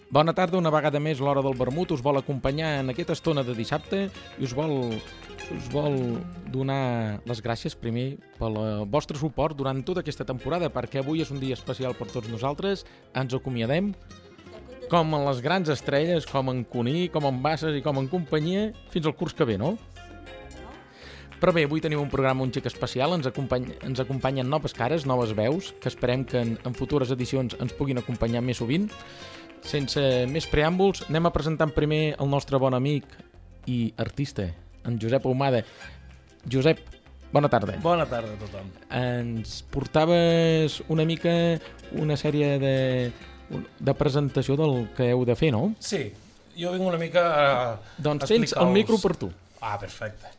Bona tarda, una vegada més l'Hora del Vermut us vol acompanyar en aquesta estona de dissabte i us vol donar les gràcies primer pel vostre suport durant tota aquesta temporada, perquè avui és un dia especial per tots nosaltres. Ens acomiadem com en les grans estrelles, com en Cuní, com en Bassas i com en companyia, fins al curs que ve, no? Però bé, avui tenim un programa un xic especial, ens acompanyen noves cares, noves veus, que esperem que en futures edicions ens puguin acompanyar més sovint. Sense més preàmbuls, anem a presentar primer el nostre bon amic i artista, en Josep Ahumada. Josep, bona tarda. Bona tarda a tothom. Ens portaves una mica una sèrie de presentació del que heu de fer, no? Sí, jo vinc una mica a doncs tens el micro per tu. Ah, perfecte.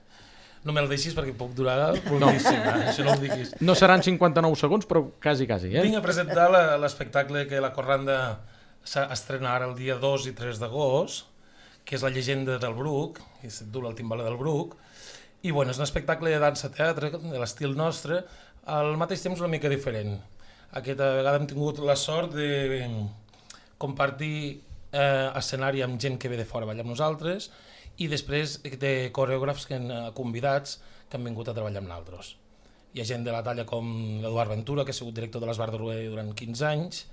No me'l deixis perquè puc durar moltíssim, això no ho diguis. No seran 59 segons, però quasi, eh? Vinc a presentar l'espectacle que la Corranda s'estrena ara el dia 2 i 3 d'agost, que és La llegenda del Bruc, que es diu El timbaler del Bruc, i bueno, és un espectacle de dansa-teatre, de l'estil nostre, al mateix temps una mica diferent. Aquesta vegada hem tingut la sort de compartir escenari amb gent que ve de fora a ballar amb nosaltres i després de coreògrafs convidats que han vingut a treballar amb nosaltres. Hi ha gent de la talla com l'Eduard Ventura, que ha sigut director de l'Esbar de Rué durant 15 anys,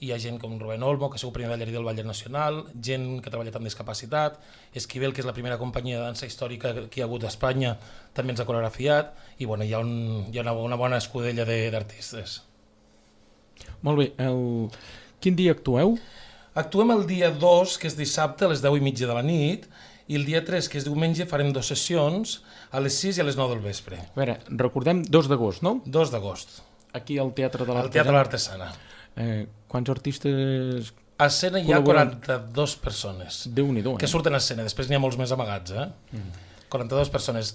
hi ha gent com Rubén Olmo, que ha sigut primer ballarí del Ballet Nacional, gent que ha treballat amb discapacitat, Esquivel, que és la primera companyia de dansa històrica que hi ha hagut a Espanya, també ens ha coreografiat, i bueno, hi ha una bona escudella d'artistes. Molt bé, quin dia actueu? Actuem el dia 2, que és dissabte, a les 10:30 de la nit, i el dia 3, que és diumenge, farem 2 sessions, a les 6 i a les 9 del vespre. A veure, recordem, 2 d'agost, no? 2 d'agost. Aquí al Teatre de l'Artesana. Al Teatre de l'Artesana. Quants artistes... A escena hi ha 42 persones. Déu-n'hi-do, que surten a escena, després n'hi ha molts més amagats, 42 persones.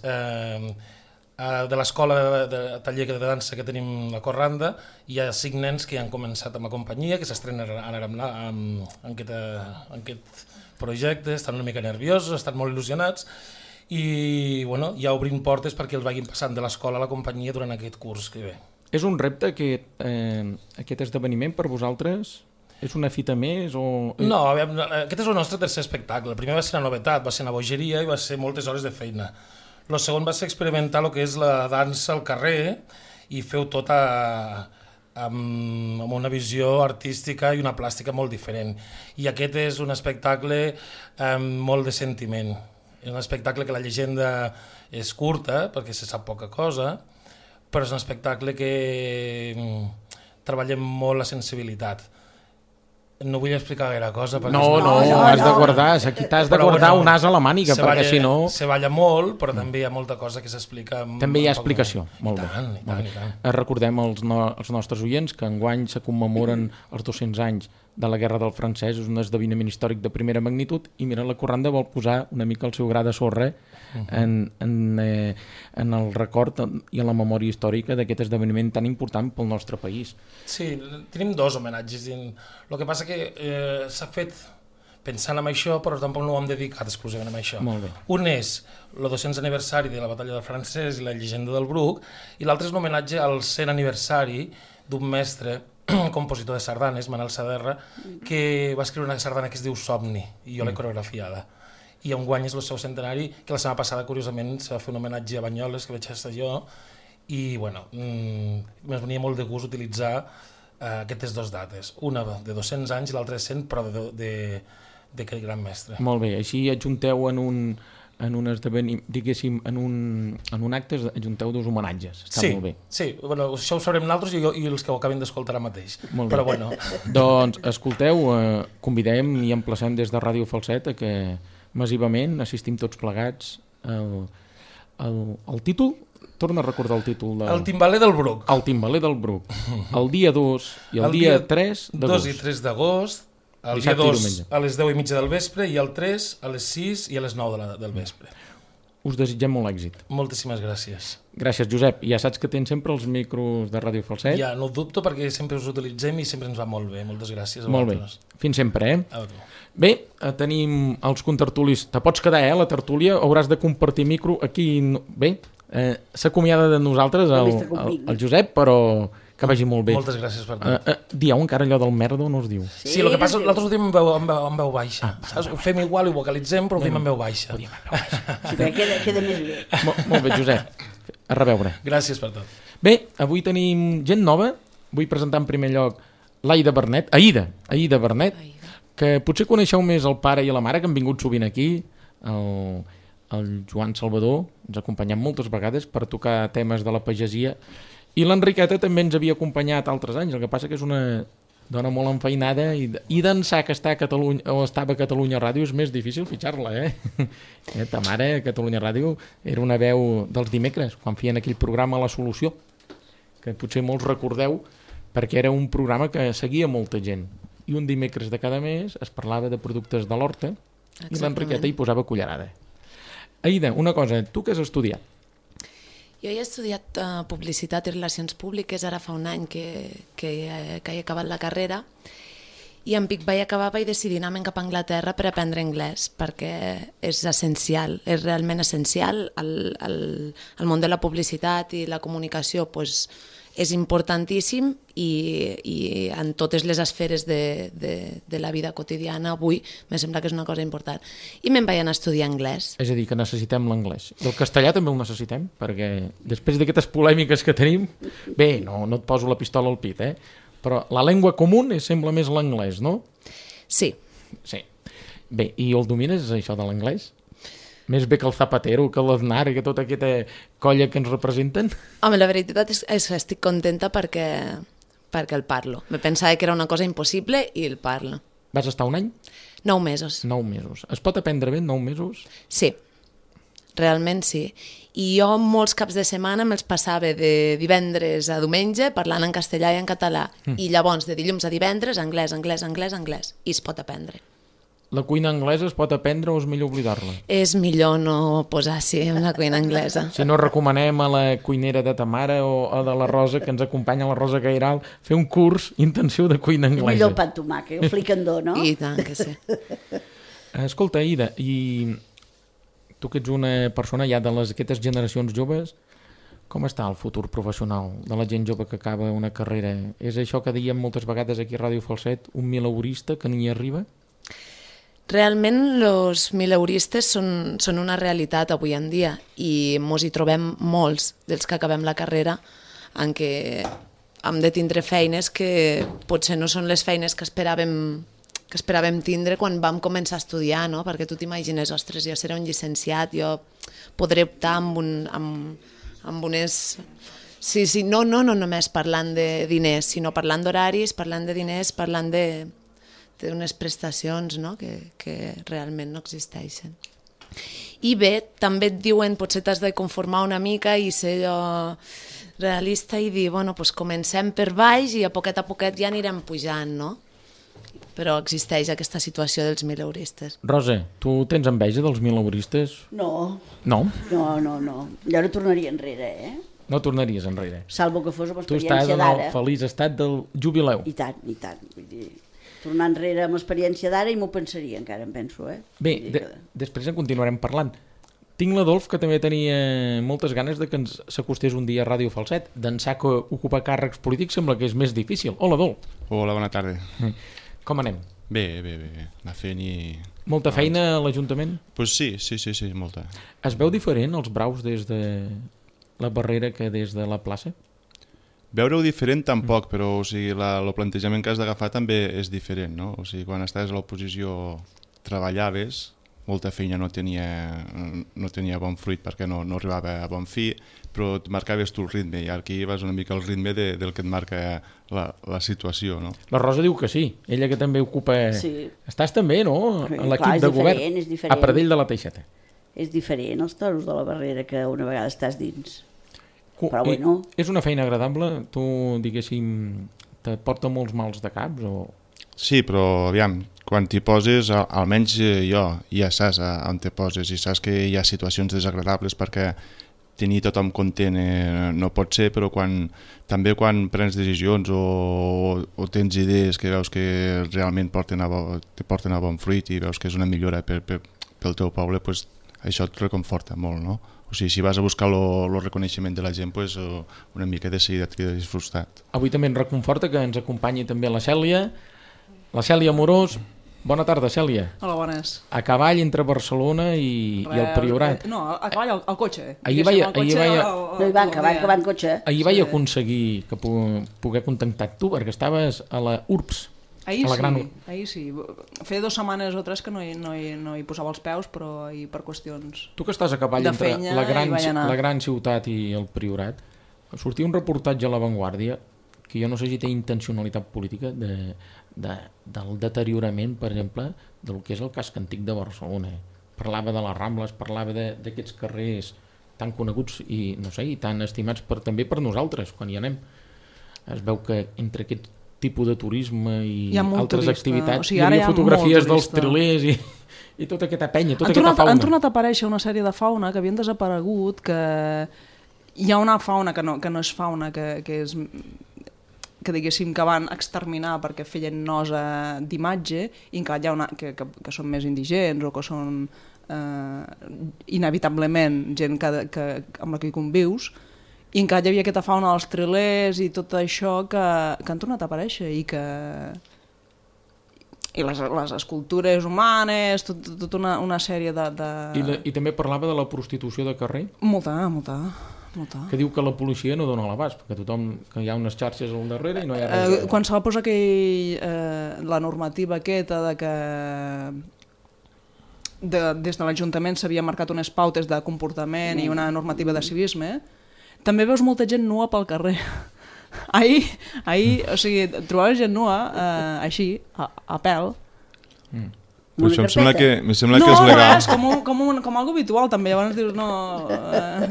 De l'escola de taller de dansa que tenim la Corranda, hi ha 5 nens que han començat amb la companyia, que s'estrenen ara en aquest projecte, estan una mica nerviosos, estan molt il·lusionats, i bueno, ja obrim portes perquè els vagin passant de l'escola a la companyia durant aquest curs que ve. És un repte aquest esdeveniment per vosaltres? És una fita més? No, aquest és el nostre tercer espectacle. El primer va ser una novetat, va ser una bogeria i va ser moltes hores de feina. El segon va ser experimentar el que és la dansa al carrer i feu tot amb una visió artística i una plàstica molt diferent. I aquest és un espectacle amb molt de sentiment. És un espectacle que la llegenda és curta, perquè se sap poca cosa, però és un espectacle que treballem molt la sensibilitat. No vull explicar gaire cosa. No, has de guardar, aquí t'has de guardar un as a la màniga, perquè si no... Se balla molt, però també hi ha molta cosa que s'explica... També hi ha explicació, molt bé. I tant. Recordem als nostres oients que enguany se commemoren els 200 anys de la Guerra del Francès, és un esdeveniment històric de primera magnitud, i mira, la Corranda vol posar una mica el seu gra de sorra en el record i en la memòria històrica d'aquest esdeveniment tan important pel nostre país. Sí, tenim 2 homenatges. El que passa que s'ha fet pensant en això, però tampoc no ho hem dedicat exclusivament a això. Molt bé. Un és el 200 aniversari de la batalla del Francès i la llegenda del Bruc, i l'altre és un homenatge al 100 aniversari d'un mestre compositor de sardanes, Manel Saderra, que va escriure una sardana que es diu Somni, i jo l'he coreografiada. I enguany és el seu centenari, que la setmana passada, curiosament, se va fer un homenatge a Banyoles, que vaig estar jo, i bueno, ens venia molt de gust utilitzar aquestes 2 dates, una de 200 anys i l'altra de 100, però d'aquest gran mestre. Molt bé, així adjunteu en un esdeveniment, diguéssim, en un acte ajunteu 2 homenatges. Està molt bé. Sí, bueno, això ho sabrem nosaltres i els que ho acabin d'escoltar ara mateix. Molt bé. Però bueno. Doncs, escolteu, convidem i emplacem des de Ràdio Falset a que massivament assistim tots plegats al títol. Torna a recordar el títol. El timbaler del Bruc. El timbaler del Bruc. El dia 2 i el dia 3 d'agost. 2 i 3 d'agost. El dia 2 a les 10:30 del vespre i el 3 a les 6 i a les 9 del vespre. Us desitgem molt èxit. Moltíssimes gràcies. Gràcies, Josep. Ja saps que tens sempre els micros de Ràdio Falset. Ja, no ho dubto perquè sempre us utilitzem i sempre ens va molt bé. Moltes gràcies a molt vosaltres. Bé. Fins sempre, A tu. Bé, tenim els contertulis. Te pots quedar, la tertúlia. Hauràs de compartir micro aquí. Bé, s'acomiada de nosaltres el Josep, però Que vagi molt bé. Moltes gràcies per tot. Dieu encara allò del merda o no es diu? Sí, el que passa, l'altre ho diem en veu baixa. Ho fem igual, ho vocalitzem, però ho diem en veu baixa. Sí, queda més bé. Molt bé, Josep. A reveure. Gràcies per tot. Bé, avui tenim gent nova. Vull presentar en primer lloc l'Aida Bernet, Aida Bernet, que potser coneixeu més el pare i la mare, que han vingut sovint aquí, el Joan Salvador, ens ha acompanyat moltes vegades per tocar temes de la pagesia, i l'Enriqueta també ens havia acompanyat altres anys, el que passa que és una dona molt enfeinada i d'ençà que està a Catalunya, o estava a Catalunya Ràdio és més difícil fitxar-la, Ta mare a Catalunya Ràdio era una veu dels dimecres, quan feien aquell programa La Solució, que potser molts recordeu, perquè era un programa que seguia molta gent, i un dimecres de cada mes es parlava de productes de l'horta i l'Enriqueta hi posava cullerada. Aida, una cosa, tu què has estudiat? Jo he estudiat Publicitat i Relacions Públiques, ara fa un any que he acabat la carrera, i en Vic vaig decidir anar-me'n cap a Anglaterra per aprendre anglès, perquè és essencial, és realment essencial. El món de la publicitat i la comunicació és importantíssim i en totes les esferes de la vida quotidiana avui me sembla que és una cosa important. I me'n vaig anar a estudiar anglès. És a dir, que necessitem l'anglès. I el castellà també el necessitem, perquè després d'aquestes polèmiques que tenim, bé, no et poso la pistola al pit, però la llengua comú sembla més l'anglès, no? Sí. Sí. Bé, i el domines, això de l'anglès? Més bé que el Zapatero, que l'Aznar i que tota aquesta colla que ens representen? Home, la veritat és que estic contenta perquè el parlo. Me pensava que era una cosa impossible i el parlo. Vas estar un any? 9 mesos. 9 mesos. Es pot aprendre bé en 9 mesos? Sí, realment sí. I jo molts caps de setmana me'ls passava de divendres a diumenge parlant en castellà i en català. I llavors de dilluns a divendres anglès. I es pot aprendre. La cuina anglesa es pot aprendre o és millor oblidar-la? És millor no posar-s'hi en la cuina anglesa. Si no, recomanem a la cuinera de ta mare o de la Rosa, que ens acompanya, la Rosa Gairal, fer un curs intensiu de cuina anglesa. Millor el pa amb tomàquet, el fricandó, no? I tant que sí. Escolta, Aida, i tu que ets una persona ja d'aquestes generacions joves, com està el futur professional de la gent jove que acaba una carrera? És això que dèiem moltes vegades aquí a Ràdio Falset, un mileurista que ni arriba? Realment els mileuristes són una realitat avui en dia i mos hi trobem molts dels que acabem la carrera en què hem de tindre feines que potser no són les feines que esperàvem tindre quan vam començar a estudiar, no? Perquè tu t'imagines, ostres, jo seré un llicenciat, jo podré optar amb unes... Sí, no només parlant de diners, sinó parlant d'horaris, parlant de diners, parlant d'unes prestacions, no? que realment no existeixen. I bé, també et diuen, potser t'has de conformar una mica i ser realista i dir, bueno, doncs comencem per baix i a poquet ja anirem pujant, no? Però existeix aquesta situació dels mileuristes. Rosa, tu tens enveja dels mileuristes? No. No? No. Jo no tornaria enrere, No tornaries enrere? Salvo que fos amb experiència d'ara. Tu estàs en el feliç estat del jubileu. I tant. Vull dir, tornar enrere amb l'experiència d'ara i m'ho pensaria, encara em penso, Bé, després en continuarem parlant. Tinc l'Adolf, que també tenia moltes ganes de que ens s'acostés un dia a Ràdio Falset. D'ençà que ocupar càrrecs polítics sembla que és més difícil. Hola, Adolf. Hola, bona tarda. Com anem? Bé. Anar fent i... Molta feina a l'Ajuntament? Pues sí, molta. Es veu diferent els braus des de la Barrera que des de la plaça? Veure-ho diferent tampoc, però o sigui, el plantejament que has d'agafar també és diferent, no? O sigui, quan estaves a l'oposició treballaves, molta feina no tenia bon fruit perquè no arribava a bon fi, però et marcaves tu el ritme i aquí vas una mica al ritme del que et marca la situació, no? La Rosa diu que sí, ella que també ocupa... Sí. Estàs també, no?, en l'equip de govern, a Pradell de la Teixeta. És diferent els toros de la Barrera que una vegada estàs dins. Però bueno... És una feina agradable? Tu, diguéssim, te porta molts mals de caps? O... Sí, però aviam, quan t'hi poses, almenys jo ja saps on te poses i saps que hi ha situacions desagradables perquè tenir tothom content no pot ser, però també quan prens decisions o tens idees que veus que realment te porten a bon fruit i veus que és una millora pel teu poble, doncs això et reconforta molt, no? O sigui, si vas a buscar el reconeixement de la gent, pues, una mica de seguida et quedaries frustrat. Avui també ens reconforta que ens acompanyi també la Cèlia Amorós. Bona tarda, Cèlia. Hola, bones. A cavall entre Barcelona i el Priorat. No, a cavall al cotxe. Ahir No hi van, que van en cotxe. Ahir vaig aconseguir que poder contactar tu, perquè estaves a la URBS. Ahir sí. Feia 2 setmanes o 3 que no hi posava els peus, però ahir per qüestions... Tu que estàs a cavall de entre feina la gran ciutat i el Priorat, sortia un reportatge a La Vanguardia que jo no sé si té intencionalitat política del deteriorament, per exemple, del que és el casc antic de Barcelona. Parlava de les Rambles, parlava d'aquests carrers tan coneguts i, no sé, i tan estimats també per nosaltres, quan hi anem. Es veu que entre aquest tipus de turisme i altres turista. activitats hi havia fotografies dels trilers i tota aquesta penya, tota aquesta fauna. Han tornat a aparèixer una sèrie de fauna que havien desaparegut, que hi ha una fauna que no és fauna, que és... que diguéssim que van exterminar perquè feien nosa d'imatge i encara hi ha que són més indigents o que són inevitablement gent amb la que hi convius, i encara hi havia aquesta fauna dels trilers i tot això que han tornat a aparèixer i les escultures humanes, tota una sèrie de... I també parlava de la prostitució de carrer? Molta. Que diu que la policia no dona l'abast, perquè que hi ha unes xarxes al darrere i no hi ha res. Quan se va posar la normativa aquesta de que des de l'Ajuntament s'havia marcat unes pautes de comportament i una normativa de civisme, també veus molta gent nua pel carrer. Ahir, o sigui, trobaves gent nua així, a pèl. Però això em sembla que és legal. No, és com algo habitual també, llavors dius, no,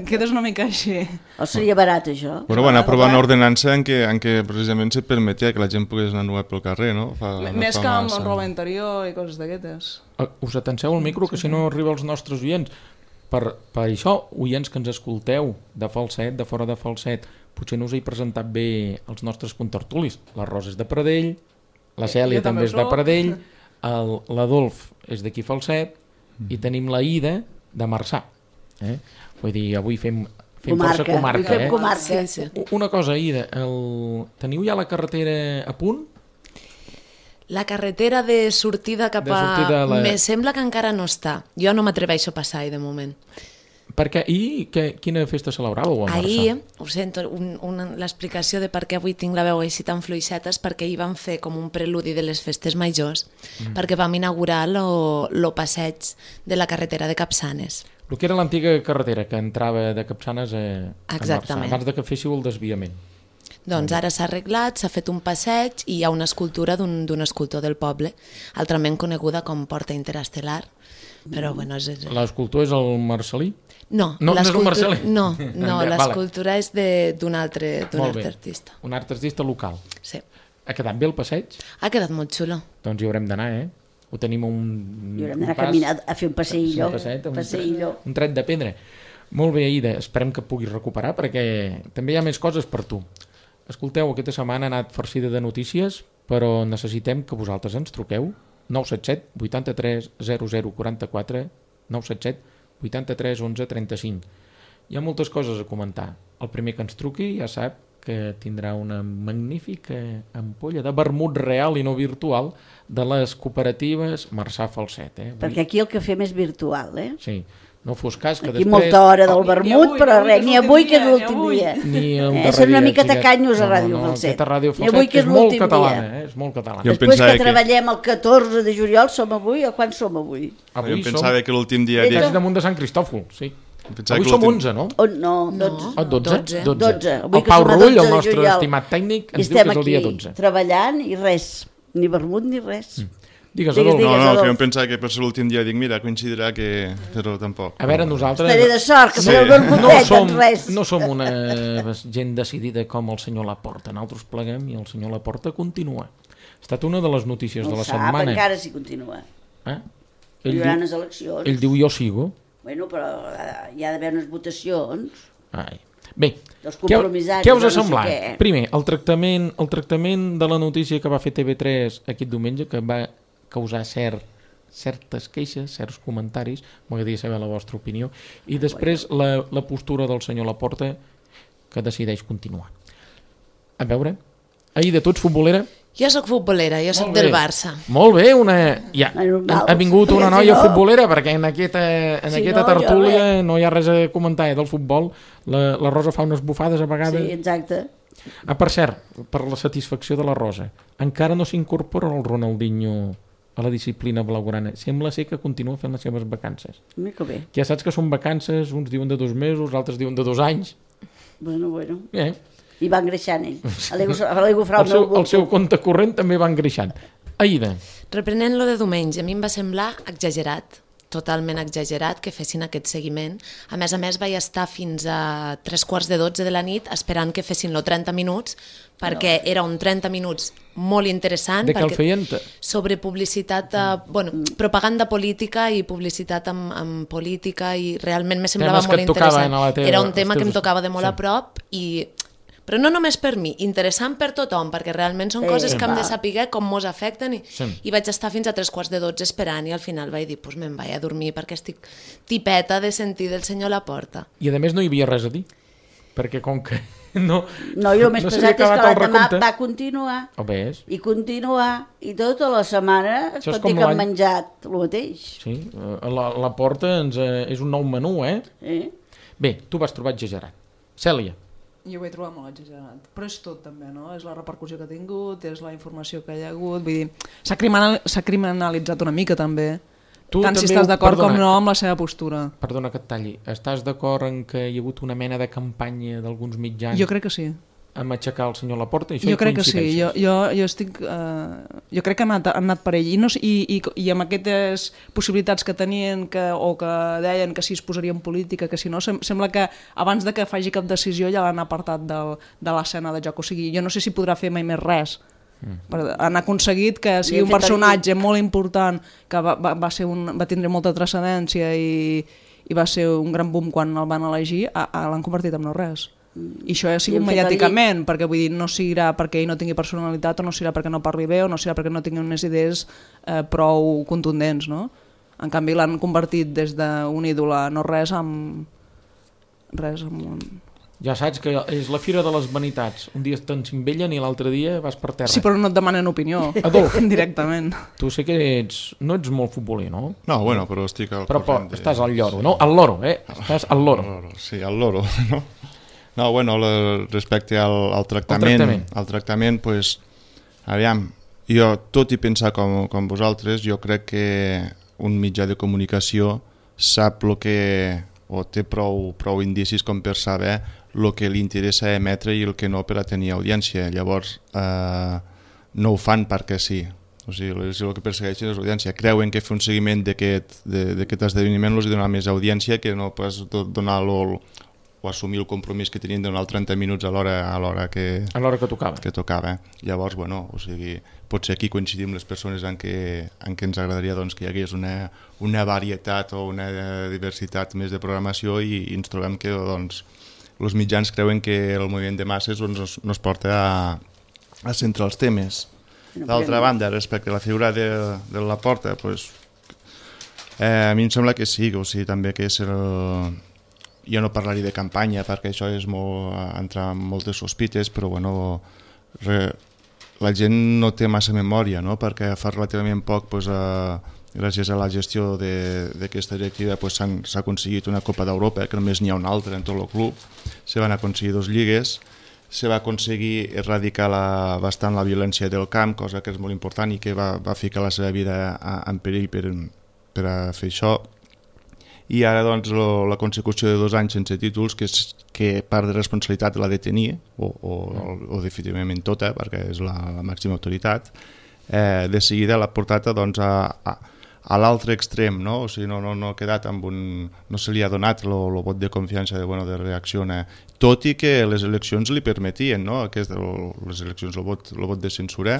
quedes una mica així. O seria barat, això? Bueno, van aprovar una ordenança en què precisament se permetia que la gent pogués anar nua pel carrer, no? Més que amb roba interior i coses d'aquestes. Us atenceu al micro, que si no arriba als nostres oients. Per això, oients que ens escolteu de Falset, de fora de Falset, potser no us he presentat bé els nostres contertulis. La Rosa és de Pradell, la Cèlia també és de Pradell, l'Adolf és d'aquí Falset i tenim la Ida de Marçà. Vull dir, avui fem força comarca. Sí. Una cosa, Ida, teniu ja la carretera a punt? La carretera de sortida cap a... Me sembla que encara no està. Jo no m'atreveixo a passar-hi de moment. Perquè quina festa celebràveu a Marçà? Ahir, ho sento, l'explicació de per què avui tinc la veu així tan fluixeta és perquè ahir vam fer com un preludi de les festes majors, perquè vam inaugurar el passeig de la carretera de Capçanes. El que era l'antiga carretera que entrava de Capçanes a Marçà, abans que féssiu el desviament. Doncs ara s'ha arreglat, s'ha fet un passeig i hi ha una escultura d'un escultor del poble, altrament coneguda com Porta Interestel·lar. Però, bueno, l'escultor és el Marcelí? No, no és el Marcelí? No, l'escultura és d'un altre artista. Un art artista local. Sí. Ha quedat bé el passeig? Ha quedat molt xulo. Doncs hi haurem d'anar, Ho tenim hi haurem d'anar a caminar, a fer un passeillo. Un tret de pedra. Molt bé, Ida, esperem que puguis recuperar perquè també hi ha més coses per tu. Escolteu, aquesta setmana ha anat farcida de notícies, però necessitem que vosaltres ens truqueu 977 83 00 44 977 83 11 35. Hi ha moltes coses a comentar. El primer que ens truqui ja sap que tindrà una magnífica ampolla de vermut real i no virtual de les cooperatives Marçà Falset. Perquè aquí el que fem és virtual, Sí. No fos cas que aquí després... molta hora del vermut, però res, ni avui que és l'últim dia. Són una mica tacanyos a Ràdio Falset. Ni avui que és molt catalana, és molt catalana. Després que treballem el 14 de juliol, som avui, o quan som avui? Jo pensava que l'últim dia... És damunt de Sant Cristòfol, sí. Avui som 11, no? No, 12. 12. El Pau Rull, el nostre estimat tècnic, ens diu que és el dia 12. Estem aquí treballant i res, ni vermut ni res. Digues, Adolf. No, que jo em pensava que per ser l'últim dia dic, mira, coincidirà que... Però tampoc. A veure, nosaltres... Estaré de sort, que serà el vermutet, en res. No som una gent decidida com el senyor Laporta. Nosaltres pleguem i el senyor Laporta continua. Ha estat una de les notícies de la setmana. Encara si continua. Hi haurà unes eleccions. Ell diu jo sigo. Bueno, però hi ha d'haver unes votacions. Bé, què us ha semblat? Primer, el tractament de la notícia que va fer TV3 aquest diumenge, que va causar cert certes queixes, certs comentaris, m'agradaria saber la vostra opinió, i després la postura del senyor Laporta, que decideix continuar. A veure, Aida, tu ets futbolera? Jo sóc futbolera, jo sóc del Barça. Molt bé, ha vingut una noia futbolera, perquè en aquesta tertúlia no hi ha res a comentar del futbol. La Rosa fa unes bufades a vegades. Sí, exacte. Per cert, per la satisfacció de la Rosa, encara no s'incorpora el Ronaldinho a la disciplina blaugrana. Sembla ser que continua fent les seves vacances. Mica bé. Ja saps que són vacances, uns diuen de 2 mesos, altres diuen de 2 anys. Bueno. I va engreixant ell. El seu compte corrent també va engreixant. Aida. Reprenent lo de diumenge, a mi em va semblar exagerat, totalment exagerat, que fessin aquest seguiment. A més, vaig estar fins a 3:15 de la nit esperant que fessin los 30 minuts, perquè era un 30 minuts molt interessant. De què el feien? Sobre publicitat, propaganda política i publicitat amb política, i realment me semblava molt interessant. Era un tema que em tocava de molt a prop, però no només per mi, interessant per tothom, perquè realment són coses que hem de saber com mos afecten, i vaig estar fins a 3:15 esperant, i al final vaig dir, doncs me'n vaig a dormir perquè estic tipeta de sentir del senyor Laporta. I a més no hi havia res a dir, perquè com que no, i el més pesat és que l'endemà va continuar, i continuar, i tota la setmana tot i que han menjat el mateix. Sí, Laporta és un nou menú, Bé, tu vas trobar exagerat. Cèlia. Jo ho he trobat molt exagerat, però és tot també, no? És la repercussió que ha tingut, és la informació que hi ha hagut, vull dir, s'ha criminalitzat una mica també, tant si estàs d'acord com no amb la seva postura. Perdona que et talli, estàs d'acord en que hi ha hagut una mena de campanya d'alguns mitjans? Jo crec que sí. Amb aixecar el senyor Laporta? Jo crec que sí, jo crec que han anat per ell, i amb aquestes possibilitats que tenien o que deien que si es posaria en política, que si no, sembla que abans de que faci cap decisió ja l'han apartat de l'escena de joc, o sigui, jo no sé si podrà fer mai més res. Han aconseguit que sigui un personatge molt important, que va tindre molta transcendència i va ser un gran boom quan el van elegir, l'han convertit en no res. I això ha sigut mediàticament, perquè vull dir, no serà perquè ell no tingui personalitat, o no serà perquè no parli bé, o no serà perquè no tingui unes idees prou contundents, no? En canvi l'han convertit des d'un ídol a no res amb un... Ja saps que és la fira de les vanitats. Un dia te'n cimbellen i l'altre dia vas per terra. Sí, però no et demanen opinió. Adolf. Directament. Tu sé que no ets molt futboler, no? No, bueno, però estic al corrent. Però estàs al lloro, no? Al loro, Estàs al loro. Sí, al loro, no? No, bueno, respecte al tractament, pues, aviam, jo, tot i pensar com vosaltres, jo crec que un mitjà de comunicació sap el que, o té prou indicis com per saber el que li interessa emetre i el que no per a tenir audiència. Llavors, no ho fan perquè sí. O sigui, el que persegueixen és l'audiència. Creuen que fer un seguiment d'aquest esdeveniment els dona més audiència que no pas donar o assumir el compromís que tenien de donar 30 minuts a l'hora que tocava. Llavors, bueno, o sigui, potser aquí coincidim les persones en què ens agradaria que hi hagués una varietat o una diversitat més de programació, i ens trobem que els mitjans creuen que el moviment de masses no es porta a centrar els temes. D'altra banda, respecte a la figura de Laporta, a mi em sembla que sí, o sigui, també que és jo no parlaria de campanya perquè això és entrar en moltes sospites, però bueno, la gent no té massa memòria, no? Perquè fa relativament poc, gràcies a la gestió d'aquesta directiva, s'ha aconseguit una Copa d'Europa, que només n'hi ha una altra en tot el club, se van aconseguir 2 lligues, se va aconseguir erradicar bastant la violència del camp, cosa que és molt important i que va ficar la seva vida en perill per a fer això. I ara la consecució de 2 anys sense títols, que part de responsabilitat la de tenir, o definitivament tota, perquè és la màxima autoritat, de seguida l'ha portat a l'altre extrem, no? O sigui, no ha quedat no se li ha donat el vot de confiança de reacciona, tot i que les eleccions li permetien, no? Les eleccions, el vot de censura,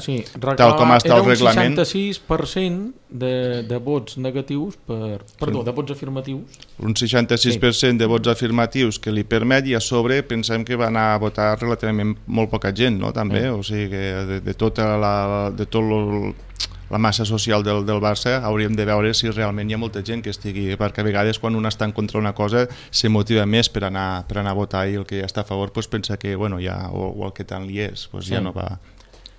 tal com està el reglament. Era un 66% de vots negatius, de vots afirmatius. Un 66% de vots afirmatius que li permet, i a sobre pensem que va anar a votar relativament molt poca gent, no? També, o sigui que de tot la massa social del Barça, hauríem de veure si realment hi ha molta gent que estigui, perquè a vegades quan un està en contra d'una cosa se motiva més per anar a votar, i el que està a favor pensa que ja, o el que tant li és, ja no va...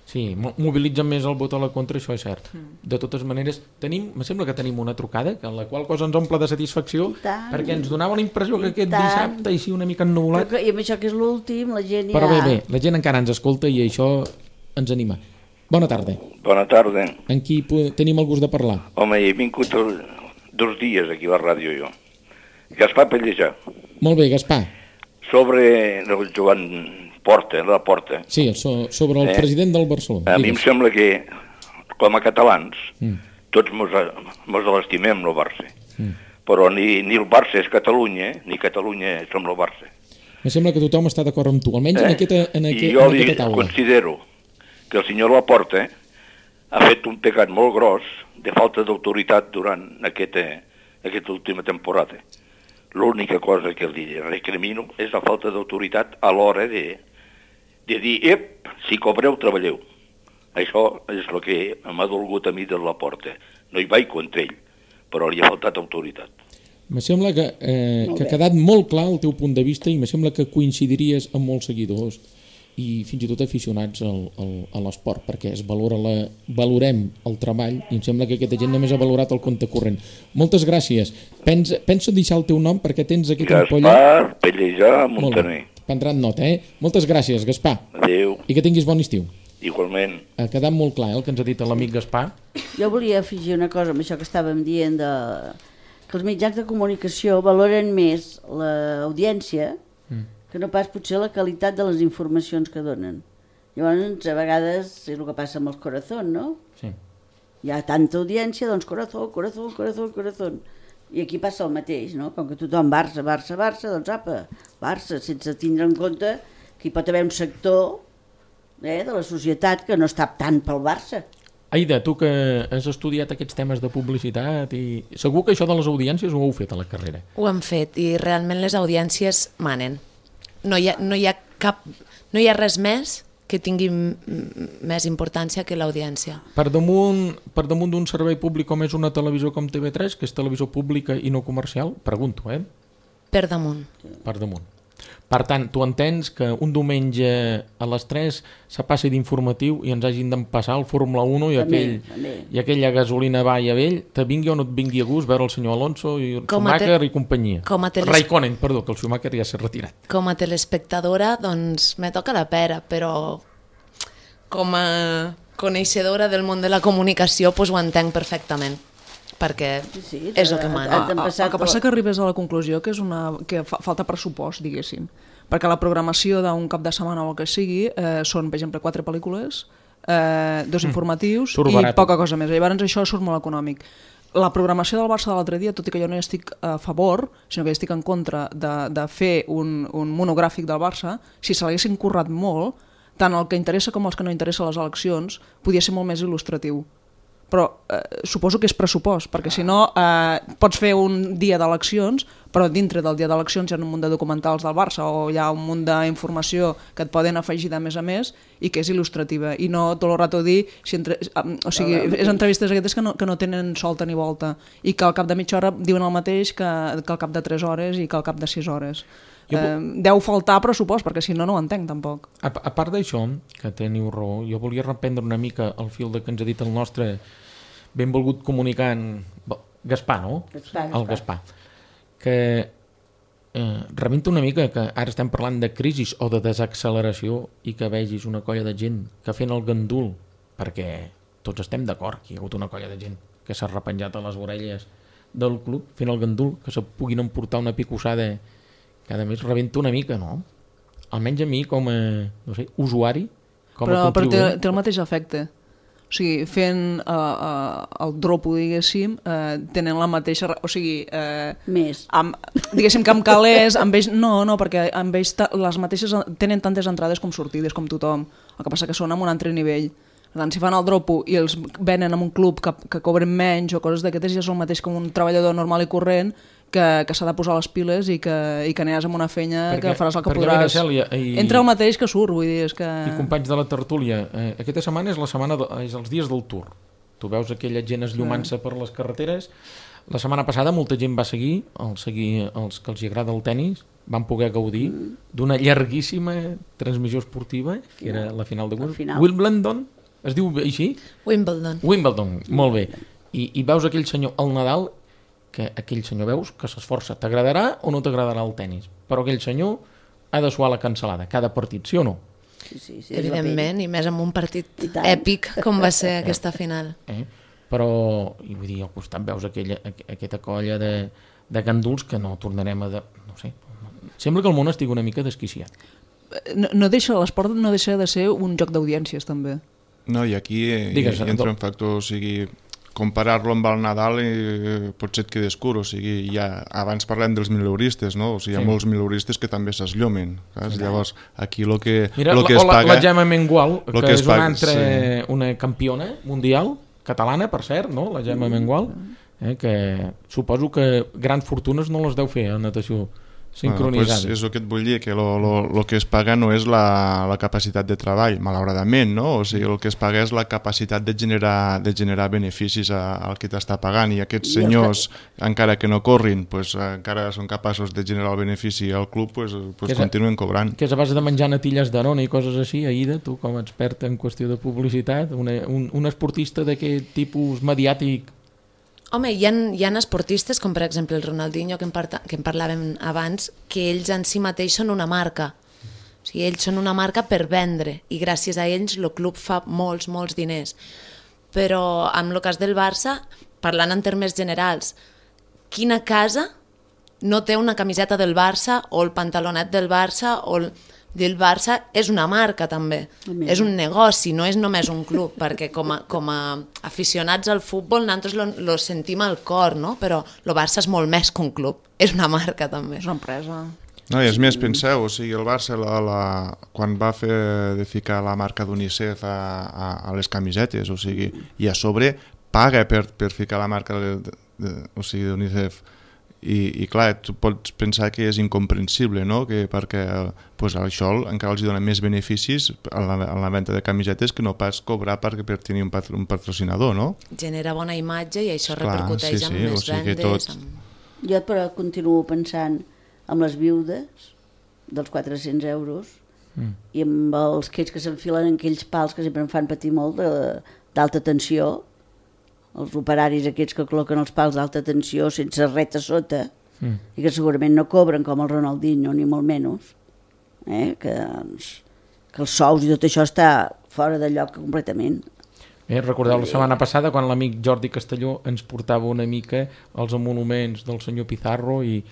Sí, mobilitzen més el vot a la contra, això és cert. De totes maneres, me sembla que tenim una trucada, que la qual cosa ens omple de satisfacció, perquè ens donava la impressió que aquest dissabte així una mica ennubulat... I amb això que és l'últim, la gent Però bé, la gent encara ens escolta i això ens anima. Bona tarda. Bona tarda. Amb qui tenim el gust de parlar? Home, he vingut 2 dies aquí a la ràdio jo. Gaspar Pellejà. Molt bé, Gaspar. Sobre el Joan Laporta. Sí, sobre el president del Barcelona. A mi em sembla que, com a catalans, tots mos l'estimem, el Barça. Però ni el Barça és Catalunya, ni Catalunya som el Barça. Em sembla que tothom està d'acord amb tu, almenys en aquesta taula. I jo li considero que el senyor Laporta ha fet un pecat molt gros de falta d'autoritat durant aquesta última temporada. L'única cosa que li recrimino és la falta d'autoritat a l'hora de dir, si cobreu, treballeu. Això és el que m'ha dolgut a mi de Laporta. No hi vaig contra ell, però li ha faltat autoritat. Me sembla que ha quedat molt clar el teu punt de vista i me sembla que coincidiries amb molts seguidors i fins i tot aficionats a l'esport, perquè valorem el treball i em sembla que aquesta gent només ha valorat el compte corrent. Moltes gràcies. Penso deixar el teu nom perquè tens aquí ampolla. Gaspar Pellejà Montaner. Prendran nota, Moltes gràcies, Gaspar. Adéu. I que tinguis bon estiu. Igualment. Ha quedat molt clar el que ens ha dit l'amic Gaspar. Jo volia afegir una cosa amb això que estàvem dient, que els mitjans de comunicació valoren més l'audiència que no pas potser la qualitat de les informacions que donen. Llavors, a vegades, és el que passa amb els corazón, no? Sí. Hi ha tanta audiència, doncs corazón. I aquí passa el mateix, no? Com que tothom Barça, doncs apa, Barça, sense tindre en compte que hi pot haver un sector de la societat que no està tant pel Barça. Aida, tu que has estudiat aquests temes de publicitat i segur que això de les audiències ho heu fet a la carrera. Ho hem fet i realment les audiències manen. No hi ha res més que tingui més importància que l'audiència. Per damunt d'un servei públic com és una televisió com TV3, que és televisió pública i no comercial, pregunto, Per damunt. Per damunt. Per tant, tu entens que un diumenge a les 3 se passi d'informatiu i ens hagin d'empassar el Fórmula 1 i aquella gasolina va i a vell, te vingui o no et vingui a gust veure el senyor Alonso i el Schumacher i companyia. Raikkonen, perdó, que el Schumacher ja s'ha retirat. Com a telespectadora, doncs me toca la pera, però com a coneixedora del món de la comunicació doncs ho entenc perfectament, perquè és el que mana. El que passa que arribes a la conclusió que falta pressupost, diguéssim, perquè la programació d'un cap de setmana o el que sigui són, per exemple, 4 pel·lícules, 2 informatius i poca cosa més. Llavors això surt molt econòmic. La programació del Barça de l'altre dia, tot i que jo no hi estic a favor, sinó que estic en contra de fer un monogràfic del Barça, si se l'haguessin currat molt, tant el que interessa com els que no interessa les eleccions, podia ser molt més il·lustratiu. Però suposo que és pressupost, perquè si no pots fer un dia d'eleccions, però dintre del dia d'eleccions hi ha un munt de documentals del Barça o hi ha un munt d'informació que et poden afegir de més a més i que és il·lustrativa, i no tot el rato dir o sigui, és entrevistes aquestes que no tenen solta ni volta i que al cap de mitja hora diuen el mateix que al cap de 3 hores i que al cap de 6 hores. Deu faltar pressupost, perquè si no, no ho entenc tampoc. A part d'això, que teniu raó, jo volia reprendre una mica el fil que ens ha dit el nostre benvolgut comunicant Gaspar, no? El Gaspar. Que rebenta una mica que ara estem parlant de crisi o de desacceleració i que vegis una colla de gent que fent el gandul, perquè tots estem d'acord que hi ha hagut una colla de gent que s'ha repenjat a les orelles del club fent el gandul, que se puguin emportar una picossada que a més rebenta una mica, no? Almenys a mi com a, no sé, usuari, com a contribuent. Però té el mateix efecte. O sigui, fent el dropo, diguéssim, tenen la mateixa... O sigui... Més. Diguéssim que amb calés, amb ells... No, perquè amb ells les mateixes tenen tantes entrades com sortides, com tothom. El que passa que són en un altre nivell. Per tant, si fan el dropo i els venen en un club que cobren menys o coses d'aquestes, ja són el mateix com un treballador normal i corrent que s'ha de posar les piles i que aniràs amb una feina que faràs el que podràs. Entra el mateix que surt, vull dir, és que... I companys de la tertúlia, aquesta setmana és els dies del Tour. tu veus aquella gent esllumant-se per les carreteres. La setmana passada molta gent va seguir els que els agrada el tennis, van poder gaudir d'una llarguíssima transmissió esportiva, que era la final de Wimbledon, es diu així? Wimbledon, molt bé. I veus aquell senyor al Nadal, que aquell senyor veus que s'esforça. T'agradarà o no t'agradarà el tennis? Però aquell senyor ha de suar la cancel·lada cada partit, sí o no? Sí, evidentment, i més en un partit èpic com va ser aquesta final. Però, i vull dir, al costat veus aquesta colla de ganduls que no tornarem a... no sé, sembla que el món estigui una mica desquiciat. L'esport no deixa de ser un joc d'audiències, també. No, i aquí entra un factor, o sigui, comparar-lo amb el Nadal potser et quedes curt, o sigui, abans parlem dels mileuristes, no? O sigui, hi ha molts mileuristes que també s'eslllomen, llavors aquí el que es paga... La Gemma Mengual, que és una campiona mundial, catalana, per cert, no? La Gemma Mengual, que suposo que grans fortunes no les deu fer a natació sincronitzada. Pues és el que et vull dir, que el que es paga no és la capacitat de treball, malauradament, no? O sigui, el que es paga és la capacitat de generar beneficis al que t'està pagant, i aquests senyors, encara que no corrin, pues, encara són capaços de generar el benefici al club, pues continuen cobrant. Que és a base de menjar natilles d'Arona i coses així, Aida, tu com a experta en qüestió de publicitat, un esportista d'aquest tipus mediàtic. Home, hi ha esportistes, com per exemple el Ronaldinho, que en parlàvem abans, que ells en si mateix són una marca. O sigui, ells són una marca per vendre, i gràcies a ells el club fa molts diners. Però amb el cas del Barça, parlant en termes generals, quina casa no té una camiseta del Barça o el pantalonet del Barça o del Barça? És una marca també, és un negoci, no és només un club, perquè com a aficionats al futbol nosaltres lo sentim al cor, no? Però el Barça és molt més que un club, és una marca també. És una empresa. No, i és més, penseu, o sigui, el Barça quan va de ficar la marca d'UNICEF a les camisetes, o sigui, i a sobre paga per ficar la marca d'UNICEF. I clar, tu pots pensar que és incomprensible, no? Perquè això encara els dona més beneficis a la venda de camisetes que no pas cobrar per tenir un patrocinador, no? Genera bona imatge i això repercuteix en més vendes. Jo però continuo pensant amb les viudes dels 400 euros i amb els que s'enfilen en aquells pals que sempre em fan patir molt d'alta tensió, els operaris aquests que col·loquen els pals d'alta tensió sense res a sota i que segurament no cobren com el Ronaldinho ni molt menys, que els sous i tot això està fora de lloc completament. Recordeu la setmana passada quan l'amic Jordi Castelló ens portava una mica els emoluments del senyor Pizarro i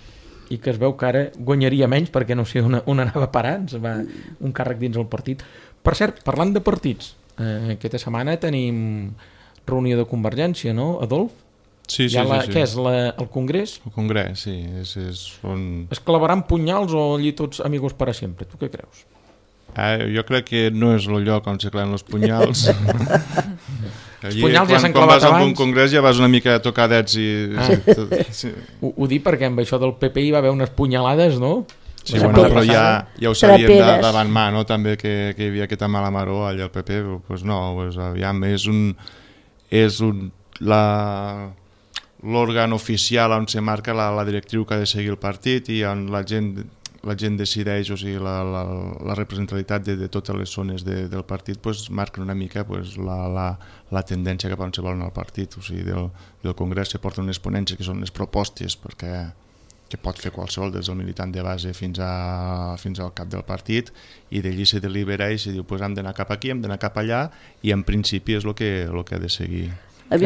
que es veu que ara guanyaria menys perquè no sé on anava a parar, ens va un càrrec dins el partit. Per cert, parlant de partits, aquesta setmana tenim reunió de Convergència, no, Adolf? Sí. Què és, el Congrés? El Congrés, sí. Es clavaran punyals o allí tots amigos para sempre? Tu què creus? Jo crec que no és el lloc on se claven els punyals. Els punyals ja s'han clavat abans. Quan vas a un congrés ja vas una mica tocadets i... Ho dic perquè amb això del PP hi va haver unes punyalades, no? Sí, però ja ho sabíem davant mà, no? També que hi havia aquesta mala maró allà al PP, doncs no, aviam, és l'òrgan oficial on se marca la directriu que ha de seguir el partit i on la gent decideix, o sigui, la representativitat de totes les zones del partit marca una mica la tendència cap on se vol anar al partit. O sigui, del Congrés se porten unes ponències que són les propostes que pot fer qualsevol, des del militant de base fins al cap del partit, i d'allí se delibera i se diu hem d'anar cap aquí, hem d'anar cap allà, i en principi és el que ha de seguir. A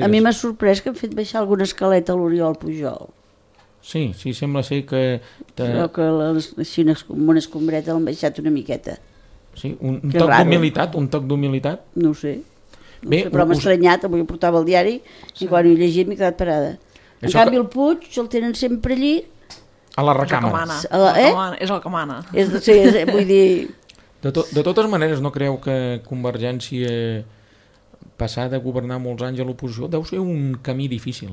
mi m'ha sorprès que han fet baixar alguna escaleta a l'Oriol Pujol. Sí, sembla ser que... Però que així amb una escombreta l'han baixat una miqueta. Sí, un toc d'humilitat? No ho sé. Però m'ha estranyat, avui ho portava al diari i quan ho he llegit m'he quedat parada. En canvi el Puig el tenen sempre allí a la recàmera. És el que mana. Vull dir... De totes maneres, no creu que Convergència passar de governar molts anys a l'oposició deu ser un camí difícil,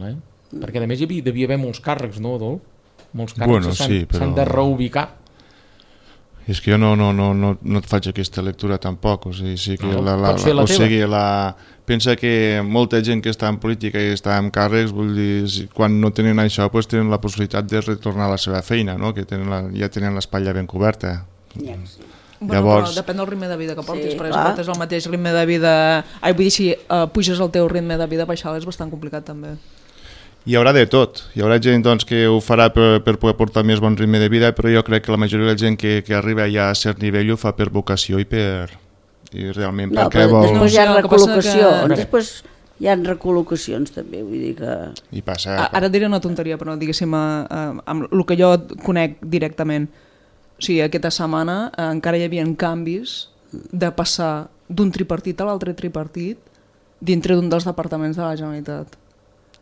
perquè a més hi devia haver molts càrrecs, no, Adolf? Molts càrrecs s'han de reubicar. És que jo no et faig aquesta lectura tampoc, o sigui, sí que pots fer la teva. Pensa que molta gent que està en política i està en càrrecs, vull dir, quan no tenen això, pues, tenen la possibilitat de retornar a la seva feina, no? Que ja tenen l'espatlla ben coberta. Ja, sí. Bueno, Llavors... però depèn del ritme de vida que portis, Sí, perquè clar. si portes el mateix ritme de vida... vull dir, si puges el teu ritme de vida, baixar és bastant complicat també. Hi haurà de tot. Hi haurà gent doncs, que ho farà per poder portar més bon ritme de vida, però jo crec que la majoria de la gent que arriba ja a cert nivell ho fa per vocació i realment No, perquè però vol... després hi ha No, el que passa recol·locacions, que- després hi ha recol·locacions també, vull dir que... I passa... Ara et diré una tonteria, però diguéssim, amb el que jo conec directament. O sigui, aquesta setmana encara hi havia canvis de passar d'un tripartit a l'altre tripartit dintre d'un dels departaments de la Generalitat.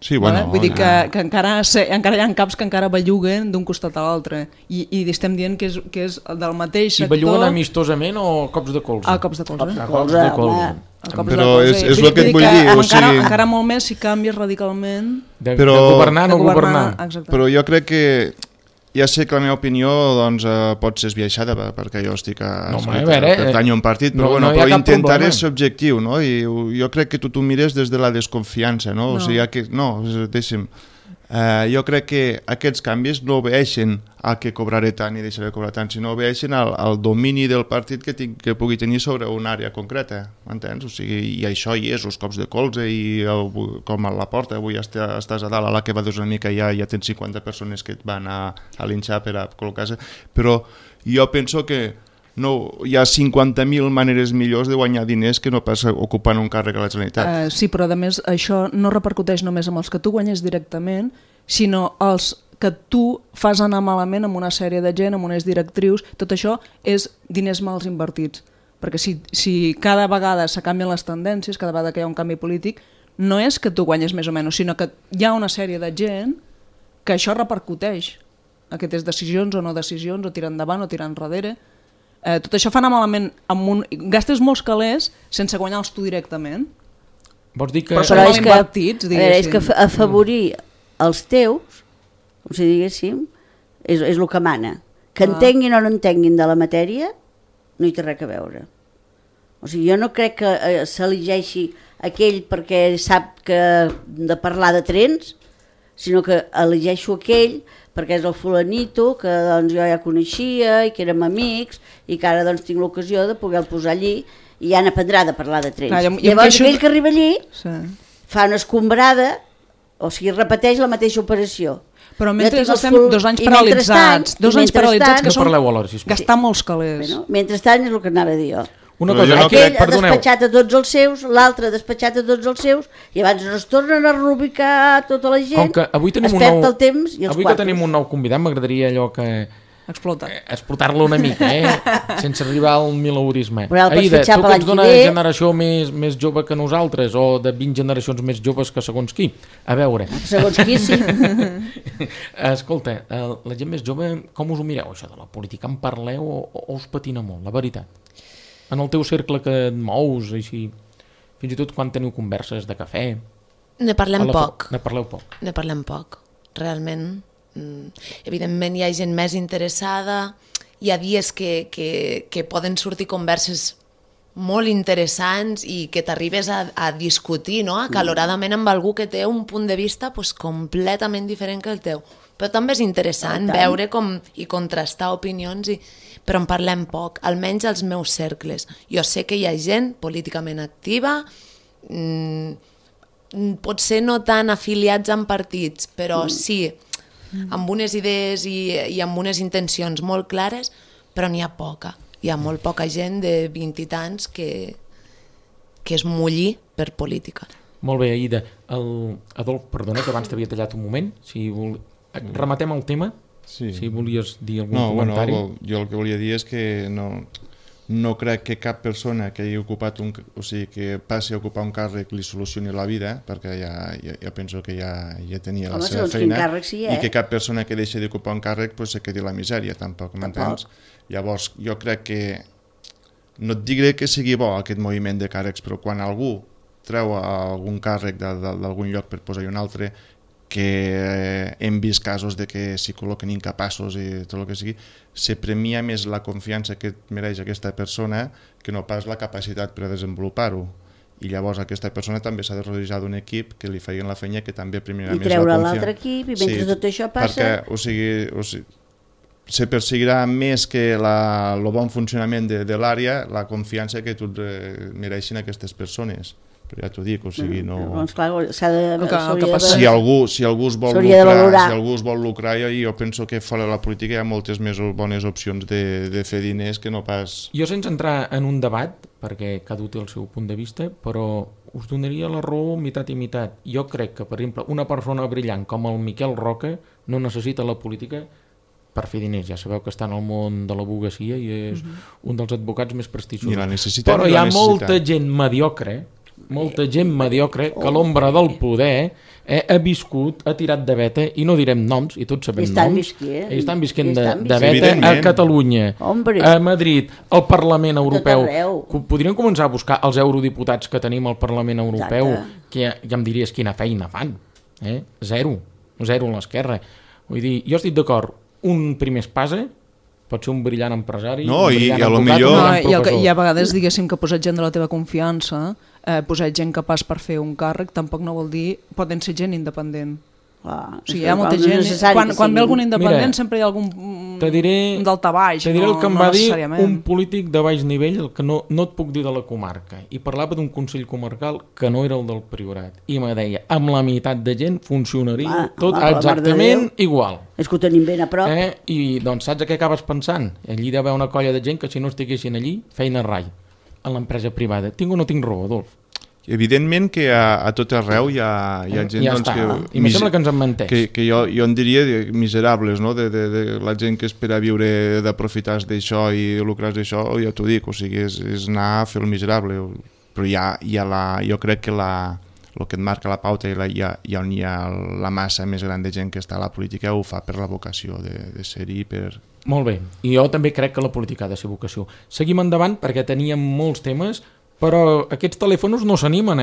Sí, bueno, Vull dir que encara hi ha caps que encara belluguen d'un costat a l'altre i estem dient que és del mateix I sector... belluguen amistosament o cops de colze? A cops de colze. Cops A cops de colze. home. A cops Però de colze. és Vull el que et dir vull dir, o encara, sigui- encara molt més si canvies radicalment Però- de governar a no governar. Exacte. Però jo crec que ja sé que la meva opinió doncs, pot ser esbiaixada perquè jo estic No, home, a veure, pertanyo a un partit, però, no hi ha però cap intentaré problema. ser objectiu, no? I jo crec que tu t'ho mires des de la desconfiança, no? No. O sigui, deixa'm, jo crec que aquests canvis no obeeixen a que cobraré tant i deixaré de cobrar tant, sinó obeeixen al domini del partit que pugui tenir sobre una àrea concreta, m'entens? O sigui, i això hi és, els cops de colze i com a la porta, avui estàs a dalt, a la que va una mica ja tens 50 persones que et van a linxar per a col·locar-se, però jo penso que no, hi ha 50.000 maneres millors de guanyar diners que no pas ocupant un càrrec a la Generalitat. Sí, però a més això no repercuteix només amb els que tu guanyes directament, sinó els que tu fas anar malament amb una sèrie de gent, amb unes directrius, tot això és diners mals invertits. Perquè si cada vegada se canvien les tendències, cada vegada que hi ha un canvi polític, no és que tu guanyes més o menys, sinó que hi ha una sèrie de gent que això repercuteix. Aquestes decisions o no decisions, o tirar endavant o tirar enrere. Tot això fa anar malament, gastes molts calés sense guanyar-los tu directament. Vols dir que... Però són mal invertits, és que diguéssim. afavorir els teus, com si diguéssim, és el que mana. Que entenguin o no entenguin de la matèria, no hi té res a veure. O sigui, jo no crec que s'elegeixi aquell perquè sap que de parlar de trens, sinó que elegeixo aquell perquè és el fulanito que doncs, jo ja coneixia i que érem amics i que ara doncs, tinc l'ocasió de poder posar allí i ja n'aprendrà de parlar de trens. Clar, jo Llavors queixo- aquell que arriba allí Sí. fa una escombrada, o sigui, repeteix la mateixa operació. Però mentre Jo tinc estem el full- 2 anys i paralitzats, mentrestant- 2 anys paralitzats que No són parleu alhora, sisplau. gastar molts calés. Bueno, mentrestant és el que anava a dir jo. Una Però cosa, jo no aquí, Aquell ha perdoneu, despatxat a tots els seus, l'altre ha despatxat a tots els seus, i abans no es tornen a reubicar tota la gent, com que avui tenim es un perd nou... el temps i els avui que quartos. tenim un nou convidat, m'agradaria allò que... Explota. explotar-lo una mica, sense arribar al milaurisme. Però el pots Aida, fitxar tu per que l'any ets que d'una ve. generació més jove que nosaltres, o de 20 generacions més joves que segons qui, a veure, Segons qui sí. escolta, la gent més jove, com us ho mireu, això de la política? En parleu o us patina molt, la veritat? En el teu cercle que et mous, així, fins i tot quan teniu converses de cafè... Ne parlem poc. Ne parleu poc. Ne parlem poc, realment. Evidentment hi ha gent més interessada, hi ha dies que poden sortir converses molt interessants i que t'arribes a discutir, no? Acaloradament amb algú que té un punt de vista pues, completament diferent que el teu. Però també és interessant veure i contrastar opinions, però en parlem poc, almenys als meus cercles. Jo sé que hi ha gent políticament activa, potser no tan afiliats en partits, però sí, amb unes idees i amb unes intencions molt clares, però n'hi ha poca. Hi ha molt poca gent de 20 i tants que es mulli per política. Molt bé, Aida. Adolf, perdona, que abans t'havia tallat un moment. Rematem el tema? Sí. Si volies dir algun No, comentari. bueno, jo el que volia dir és que no crec que cap persona que hagi ocupat o sigui, que passi a ocupar un càrrec li solucioni la vida, perquè ja penso que ja tenia la Home, seva segons quin feina, càrrec sí, i que cap persona que deixi d'ocupar un càrrec pues, se quedi a la misèria, tampoc, m'entens? Llavors, jo crec que no et diré que sigui bo aquest moviment de càrrecs, però quan algú treu algun càrrec d'algun lloc per posar-hi un altre, que hem vist casos de que s'hi col·loquen incapaços i tot el que sigui, se premia més la confiança que mereix aquesta persona que no pas la capacitat per a desenvolupar-ho. I llavors aquesta persona també s'ha de rodejar d'un equip que li facin la feina que també premiarà més la confiança. I treure l'altre equip i mentre tot això passa... Perquè, o sigui, se perseguirà més que el bon funcionament de l'àrea, la confiança que mereixin aquestes persones. Però ja t'ho dic, o sigui, no... Doncs clar, s'ha de... Si algú es vol lucrar, jo penso que fora de la política hi ha moltes més bones opcions de fer diners que no pas... Jo sense entrar en un debat, perquè cada un té el seu punt de vista, però us donaria la raó mitat i mitat. Jo crec que, per exemple, una persona brillant com el Miquel Roca no necessita la política per fer diners. Ja sabeu que està en el món de l'advocacia i és un dels advocats més prestigiosos. Però hi ha molta gent mediocre que a l'ombra del poder ha viscut, ha tirat de veta, i no direm noms, i tots sabem noms, i estan visquent de veta a Catalunya, a Madrid, al Parlament Europeu. Podríem començar a buscar els eurodiputats que tenim al Parlament Europeu, que ja em diries quina feina fan. Zero a l'esquerra. Vull dir, jo estic d'acord, un primer espasa pot ser un brillant empresari, un brillant advocat, i a vegades, diguéssim, que posar gent de la teva confiança, posar gent capaç per fer un càrrec, tampoc no vol dir, poden ser gent independent. O sigui, hi ha molta gent... Quan ve algun independent sempre hi ha algun daltabaix. Te diré el que em va dir un polític de baix nivell, el que no et puc dir de la comarca, i parlava d'un consell comarcal que no era el del Priorat, i me deia, amb la meitat de gent funcionaria tot exactament igual. És que ho tenim ben a prop. I doncs saps què acabes pensant? Allí hi deu haver una colla de gent que si no estiguessin allí, feina rai, a l'empresa privada. Tinc o no tinc raó, Adolf? Evidentment que a tot arreu hi ha gent i me sembla que ens en menteix que jo en diria miserables, no? de la gent que espera viure d'aprofitar d'això i lucrar d'això, ja t'ho dic, o sigui, és anar a fer el miserable, però jo crec que el que et marca la pauta i on hi ha la massa més gran de gent que està a la política ho fa per la vocació de ser-hi. Molt bé, i jo també crec que la política ha de ser vocació. Seguim endavant perquè teníem molts temes, però aquests telèfons no s'animen,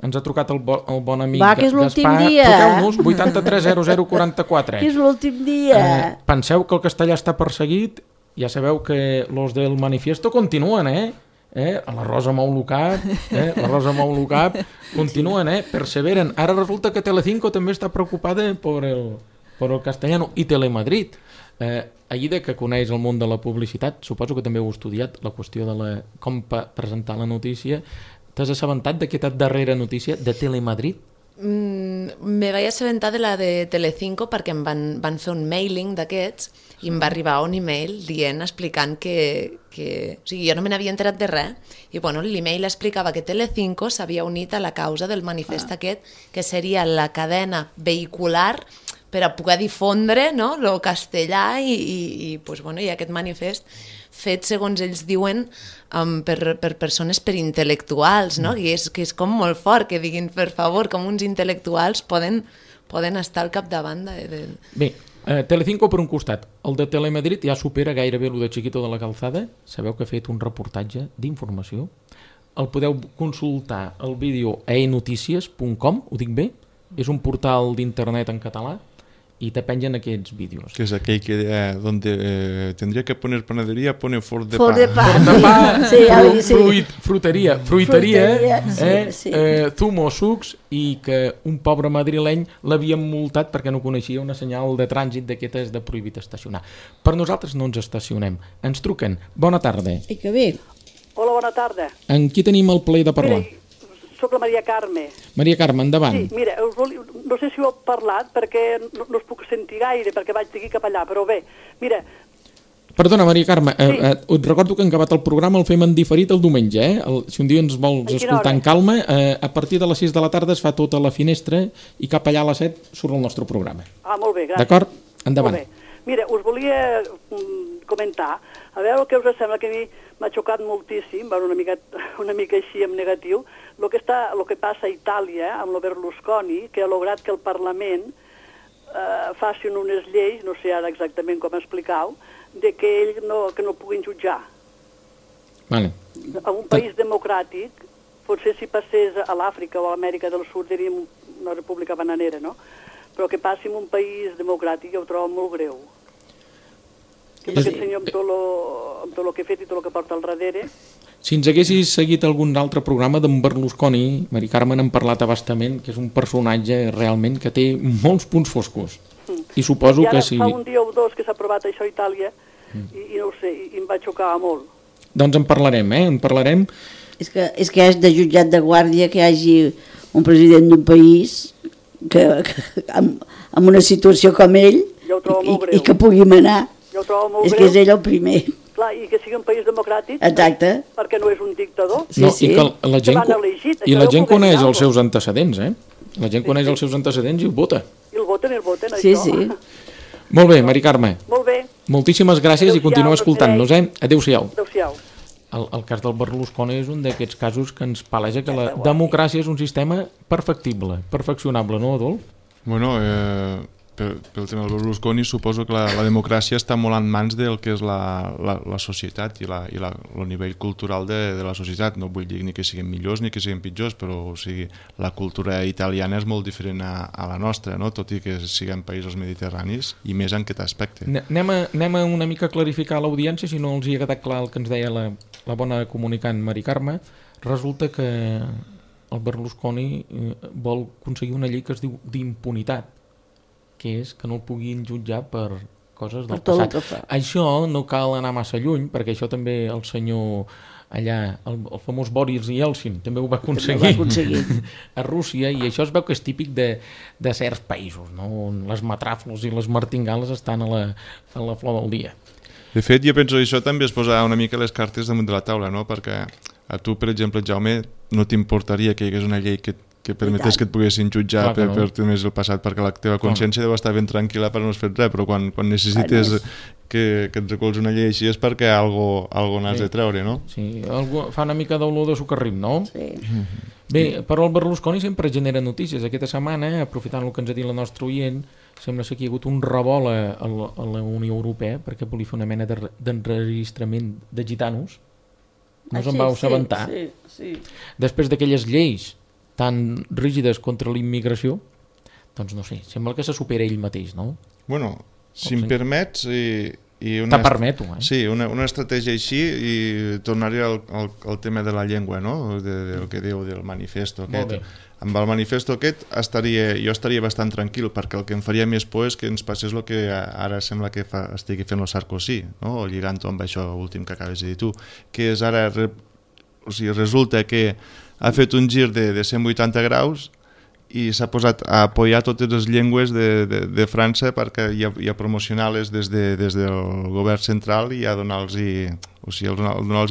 Ens ha trucat el bon amic Gaspar. Va, que és l'últim dia. Truqueu-nos, 83 00 44. Que és l'últim dia. Penseu que el castellà està perseguit, ja sabeu que los del manifiesto continuen, la Rosa mou el cap, continuen, perseveren. Ara resulta que Telecinco també està preocupada per el castellano i Telemadrid. Aida, que coneix el món de la publicitat, suposo que també heu estudiat la qüestió de com presentar la notícia. T'has assabentat d'aquesta darrera notícia de Telemadrid? Me vaig assabentar de la de Telecinco perquè em van fer un mailing d'aquests i em va arribar un email explicant que o sigui, jo no me n'havia enterat de res i l'email explicava que Telecinco s'havia unit a la causa del manifest aquest, que seria la cadena vehicular per a poder difondre el castellà i aquest manifest fet, segons ells diuen, per persones, per intel·lectuals, que és com molt fort que diguin, per favor, com uns intel·lectuals poden estar al capdavant de... Bé, Telecinco per un costat, el de Telemadrid ja supera gairebé el de Chiquito de la Calzada, sabeu que ha fet un reportatge d'informació, el podeu consultar el vídeo a enotícies.com, ho dic bé? És un portal d'internet en català, i te pengen aquests vídeos. Que és aquell que donde tendría que poner panadería, pone Fort de fruiteria, zumo, sucs, i que un pobre madrileny l'havien multat perquè no coneixia una senyal de trànsit d'aquestes de prohibit estacionar. Per nosaltres no ens estacionem. Ens truquen. Bona tarda. I que bé. Hola, bona tarda. En qui tenim el plaer de parlar? Soc la Maria Carme. Maria Carme, endavant. Sí, mira, no sé si ho heu parlat perquè no us puc sentir gaire perquè vaig d'aquí cap allà, però bé, mira... Perdona, Maria Carme, et recordo que en acabat el programa el fem en diferit el diumenge, si un dia ens vols escoltar en calma, a partir de les 6 de la tarda es fa tota la finestra i cap allà a les 7 surt el nostre programa. Ah, molt bé, gràcies. D'acord? Endavant. Molt bé. Mira, us volia comentar, a veure què us sembla, que a mi m'ha xocat moltíssim, una mica així en negatiu, el que passa a Itàlia amb el Berlusconi, que ha lograt que el Parlament facin unes lleis, no sé ara exactament com explicau, de que ell no puguin jutjar. Vale. En un país democràtic, potser si passés a l'Àfrica o a l'Amèrica del Sud diríem una república bananera, no? però que passi en un país democràtic jo ho trobo molt greu. Que aquest senyor amb tot el que ha fet i tot el que porta al darrere... Si ens haguessis seguit algun altre programa d'en Berlusconi, Mari Carme n'hem parlat abastament, que és un personatge realment que té molts punts foscos. I suposo que si... Fa un dia o dos que s'ha aprovat això a Itàlia i no ho sé, i em va xocar molt. Doncs en parlarem, en parlarem. És que és de jutjat de guàrdia que hi hagi un president d'un país que amb una situació com ell i que pugui manar. Jo ho trobo molt és greu. Que és ell el primer. Clar, i que sigui un país democràtic. Exacte. Perquè no és un dictador. Sí, sí. I que la gent coneix els seus antecedents, La gent coneix els seus antecedents i ho vota. I el voten, això. Sí, sí. Molt bé, Mari Carme. Molt bé. Moltíssimes gràcies i continua escoltant-nos, Adéu-siau. Adéu-siau. El cas del Berlusconi és un d'aquests casos que ens paleja que la democràcia és un sistema perfectible, perfeccionable, no, Adolf? Bueno, pel tema del Berlusconi suposo que la democràcia està molt en mans del que és la societat i el nivell cultural de la societat. No vull dir ni que siguin millors ni que siguin pitjors, però o sigui, la cultura italiana és molt diferent a la nostra, no? Tot i que siguem països mediterranis i més en aquest aspecte. Anem a una mica clarificar a l'audiència, si no els hi ha quedat clar el que ens deia la bona comunicant Mari Carme. Resulta que el Berlusconi vol aconseguir una llei que es diu d'impunitat, que és que no el puguin jutjar per coses del passat. Això no cal anar massa lluny, perquè això també el senyor allà, el famós Boris Yeltsin, també ho va aconseguir a Rússia, i això es veu que és típic de certs països, no? On les matràfols i les martingales estan a la flor del dia. De fet, jo penso que això també es posa una mica les cartes damunt de la taula, no? Perquè a tu, per exemple, Jaume, no t'importaria que hi hagués una llei que permetés que et poguessin jutjar per temes del passat, perquè la teva consciència deu estar ben tranquil·la per no has fet res, però quan necessites que et recolzi una llei així és perquè algo n'has de treure, no? Sí, fa una mica d'olor de sucarrim, no? Sí. Bé, però el Berlusconi sempre genera notícies. Aquesta setmana, aprofitant el que ens ha dit la nostra oient, sembla ser que hi ha hagut un revolt a la Unió Europea perquè volia fer una mena d'enregistrament de gitanos. No se'n vau assabentar? Sí. Després d'aquelles lleis tan rígides contra la immigració, doncs no sé, sembla que se supera ell mateix, no? Bueno, si em permets... Te permeto, Sí, una estratègia així, i tornaré al tema de la llengua, no? Del que diu del manifesto aquest. Amb el manifesto aquest jo estaria bastant tranquil, perquè el que em faria més por és que ens passés el que ara sembla que estigui fent el Sarkozy, no? Lligant-ho amb això últim que acabes de dir tu, que és ara, resulta que ha fet un gir de 180 graus i s'ha posat a apoyar totes les llengües de França perquè i a promocionar-les des del govern central i a donar-los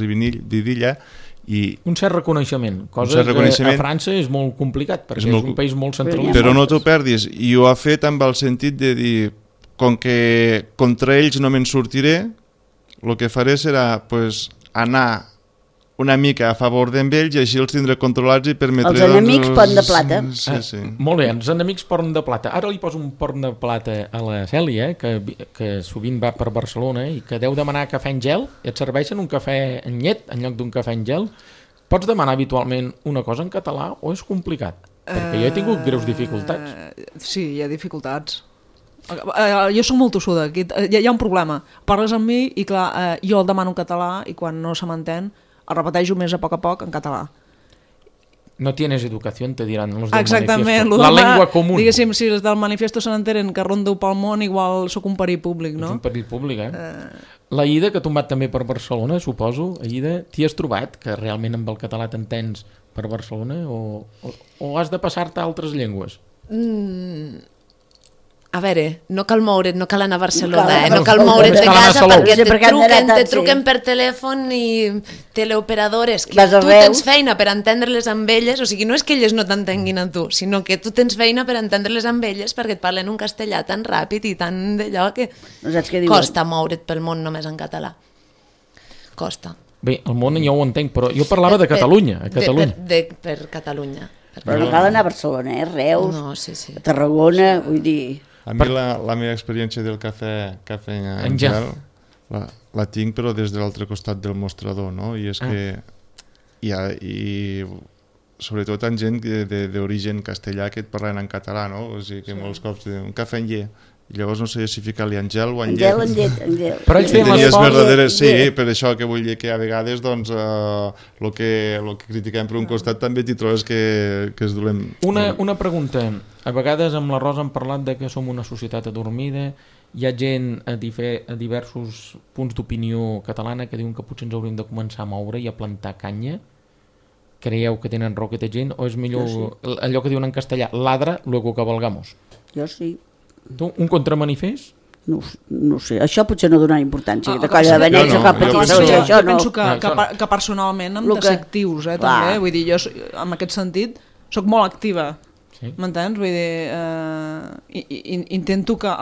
vidilla. Un cert reconeixement, cosa que a França és molt complicat perquè és un país molt centralista. Però no t'ho perdis, i ho ha fet amb el sentit de dir, com que contra ells no me'n sortiré, el que faré serà anar una mica a favor d'ells i així els tindré controlats i permetré... Els enemics porn de plata. Sí. Molt bé, els enemics porn de plata. Ara li poso un porn de plata a la Cèlia, que sovint va per Barcelona i que deu demanar cafè en gel, i et serveixen un cafè en llet en lloc d'un cafè en gel. Pots demanar habitualment una cosa en català o és complicat? Perquè jo he tingut greus dificultats. Sí, hi ha dificultats. Jo soc molt tossuda, hi ha un problema. Parles amb mi i clar, jo el demano en català i quan no se m'entén el repeteixo més a poc en català. No tienes educación, te diran los del Exactament, manifiesto. La lengua común. Diguéssim, si els del manifiesto se n'entenen que rondo pel món, igual sóc un perill públic, no? És un perill públic, La Ida, que tu vas també per Barcelona, suposo, Ida, t'hi has trobat que realment amb el català t'entens per Barcelona o has de passar-te a altres llengües? A veure, no cal moure't, no cal anar a Barcelona, no cal moure't de casa perquè te truquen per telèfon i teleoperadores, que tu tens feina per entendre-les amb elles, o sigui, no és que elles no t'entenguin a tu, sinó que tu tens feina per entendre-les amb elles perquè et parlen un castellà tan ràpid i tan d'allò que costa moure't pel món només en català. Costa. Bé, el món ja ho entenc, però jo parlava de Catalunya. Per Catalunya. Però no cal anar a Barcelona, Reus, a Tarragona, vull dir... A mi la meva experiència del cafè en gel la tinc però des de l'altre costat del mostrador, no? I és que sobretot en gent d'origen castellà que et parlen en català, no? O sigui que molts cops un cafè en llet, i llavors no sé si ficar-li angel o en llet. Angel. Però ells feien Tenies l'esforç... verdaderes, sí, per això que vull dir que a vegades doncs el que critiquem per un costat també t'hi trobes que es dolem. Una pregunta. A vegades amb la Rosa hem parlat de que som una societat adormida, hi ha gent a diversos punts d'opinió catalana que diuen que potser ens hauríem de començar a moure i a plantar canya. Creieu que tenen raó aquesta gent o és millor allò que diuen en castellà, ladra, luego cabalgamos? Jo sí. Tu, un contramanifest? No sé, això potser no donarà importància, de colla de benets o cap petita, això no. Jo penso que personalment hem de ser actius, també, vull dir, jo en aquest sentit soc molt activa, m'entens? Vull dir, intento que,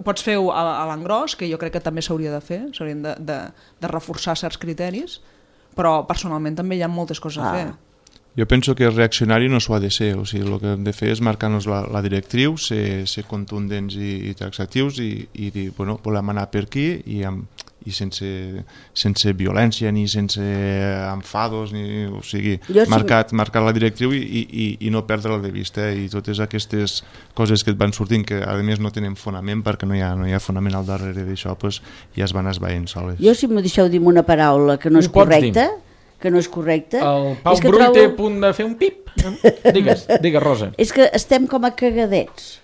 pots fer-ho a l'engròs, que jo crec que també s'hauria de fer, s'haurien de reforçar certs criteris, però personalment també hi ha moltes coses a fer. Jo penso que el reaccionari no s'ho ha de ser, o sigui, el que hem de fer és marcar-nos la directriu, ser contundents i taxatius i dir, bueno, volem anar per aquí i sense violència ni sense enfados, o sigui, marcar la directriu i no perdre-la de vista, i totes aquestes coses que et van sortint, que a més no tenen fonament perquè no hi ha fonament al darrere d'això, doncs ja es van esvaint soles. Jo, si m'ho deixeu dir una paraula que no és correcta, el Pau Brull té a punt de fer un pip. Digues, Rosa. És que estem com a cagadets.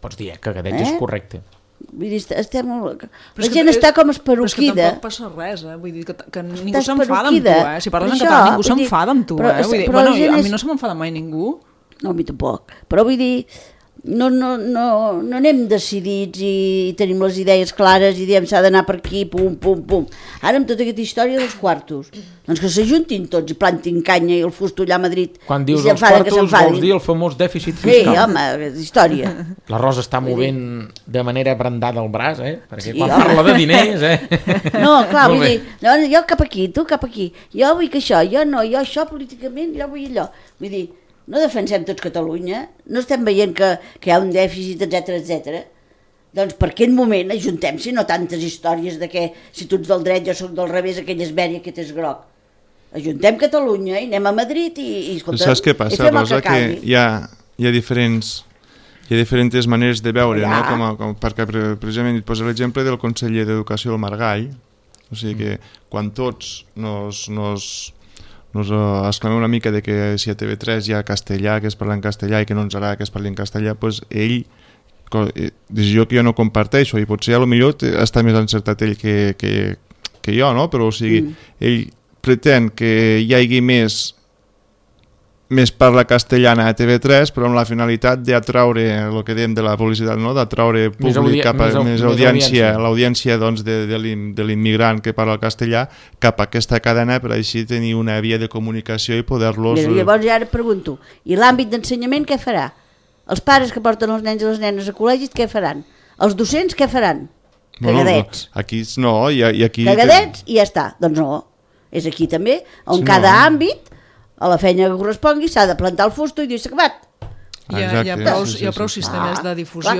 Pots dir, cagadets és correcte. Vull dir, la gent està com esperoquida. Però és que tampoc passa res, vull dir que ningú s'enfada amb tu, si parles en català ningú s'enfada amb tu, Bueno, a mi no se m'enfada mai ningú. No, a mi tampoc, però vull dir, no anem decidits i tenim les idees clares i diem s'ha d'anar per aquí, pum, pum, pum. Ara amb tota aquesta història dels quartos, doncs que s'ajuntin tots i plantin canya i el fusto allà a Madrid. Quan dius els quartos vols dir el famós dèficit fiscal. Sí, home, història. La Rosa està movent de manera brandada el braç, perquè quan parla de diners... No, clar, vull dir, jo cap aquí, tu cap aquí, jo vull que això, jo no, jo això políticament, jo vull allò. Vull dir, no defensem tots Catalunya, no estem veient que hi ha un dèficit, etc. Doncs per aquest moment ajuntem-s'hi, no tantes històries de que si tu ets del dret jo soc del revés, aquell és verd i aquest és groc. Ajuntem Catalunya i anem a Madrid i escolta, saps què passa, Rosa? Que hi ha diferents maneres de veure, no? Perquè precisament et poso l'exemple del conseller d'Educació del Margall, o sigui que quan tots nos exclamem una mica de que si a TV3 hi ha castellà, que es parla en castellà i que no ens agrada que es parli en castellà, doncs ell, decisió que jo no comparteixo, i potser potser està més encertat ell que jo, no? Però o sigui, ell pretén que hi hagi més parla castellana a TV3, però amb la finalitat d'atraure el que dèiem de la publicitat, no? D'atraure públic cap a més audiència, l'audiència doncs, de l'immigrant que parla el castellà cap a aquesta cadena, per així tenir una via de comunicació i poder-los... Llavors ja ara pregunto, i l'àmbit d'ensenyament què farà? Els pares que porten els nens i les nenes a col·legis què faran? Els docents què faran? Cagadets. Aquí no, i aquí... Cagadets i ja està. Doncs no, és aquí també, on cada àmbit a la feina que correspongui s'ha de plantar el fusto i dir s'ha acabat. Hi ha prou sistemes de difusió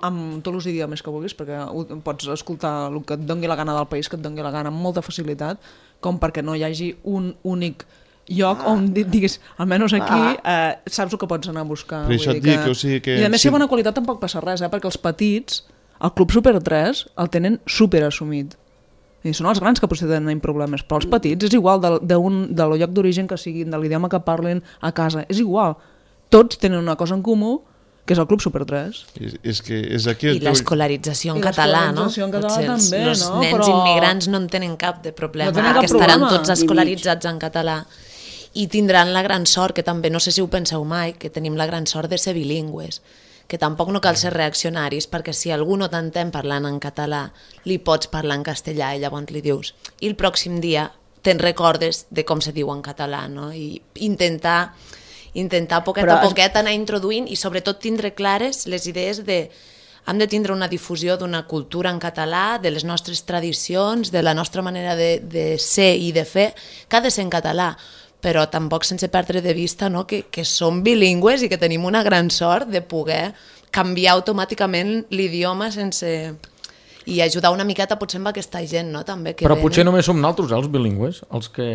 amb tots els idiomes que vulguis, perquè pots escoltar el que et doni la gana del país, que et doni la gana amb molta facilitat, com perquè no hi hagi un únic lloc on diguis, almenys aquí saps el que pots anar a buscar. Per això et dic, o sigui que... I a més, si bona qualitat tampoc passa res, perquè els petits, el Club Super 3 el tenen super assumit. I són els grans que potser tenen problemes, però els petits és igual del lloc d'origen que siguin, de l'idioma que parlen a casa, és igual. Tots tenen una cosa en comú, que és el Club Super 3. I l'escolarització en català, no? També, els nens immigrants no en tenen cap de problema, perquè estaran tots escolaritzats en català i tindran la gran sort, que també no sé si ho penseu mai, que tenim la gran sort de ser bilingües, que tampoc no cal ser reaccionaris, perquè si algú no t'entén parlant en català, li pots parlar en castellà i llavors li dius. I el pròxim dia te'n recordes de com se diu en català, no? I intentar poquet a poquet anar introduint i sobretot tindre clares les idees de... Hem de tindre una difusió d'una cultura en català, de les nostres tradicions, de la nostra manera de ser i de fer, que ha de ser en català, però tampoc sense perdre de vista, no? que som bilingües i que tenim una gran sort de poder canviar automàticament l'idioma sense... i ajudar una miqueta potser amb aquesta gent, no? També que Però venen. potser només som nosaltres, els bilingües, els que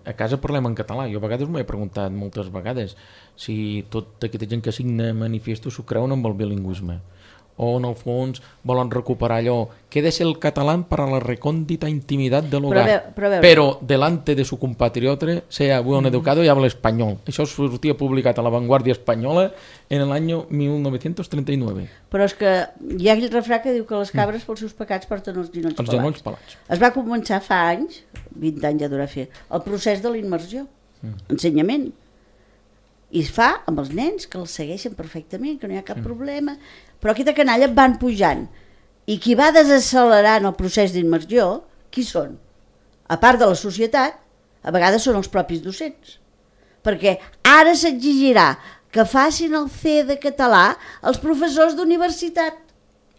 a casa parlem en català. Jo a vegades m'ho he preguntat moltes vegades si tota aquesta gent que signa manifestos s'ho creuen amb el bilingüisme, o en el fons volen recuperar allò que de ser el català para la recòndita intimitat de l'hogar, però delante de su compatriota sea buen educado y habla español. Això sortia publicat a La Vanguardia Espanyola en l'any 1939. Però és que hi ha aquell refrà que diu que les cabres pels seus pecats porten els genolls Els genolls pelats. Es va començar fa anys, 20 anys ja durà fer, el procés de la immersió, ensenyament. I es fa amb els nens, que els segueixen perfectament, que no hi ha cap problema, però aquesta canalla van pujant. I qui va desaccelerant el procés d'immersió, qui són? A part de la societat, a vegades són els propis docents. Perquè ara s'exigirà que facin el C de català els professors d'universitat.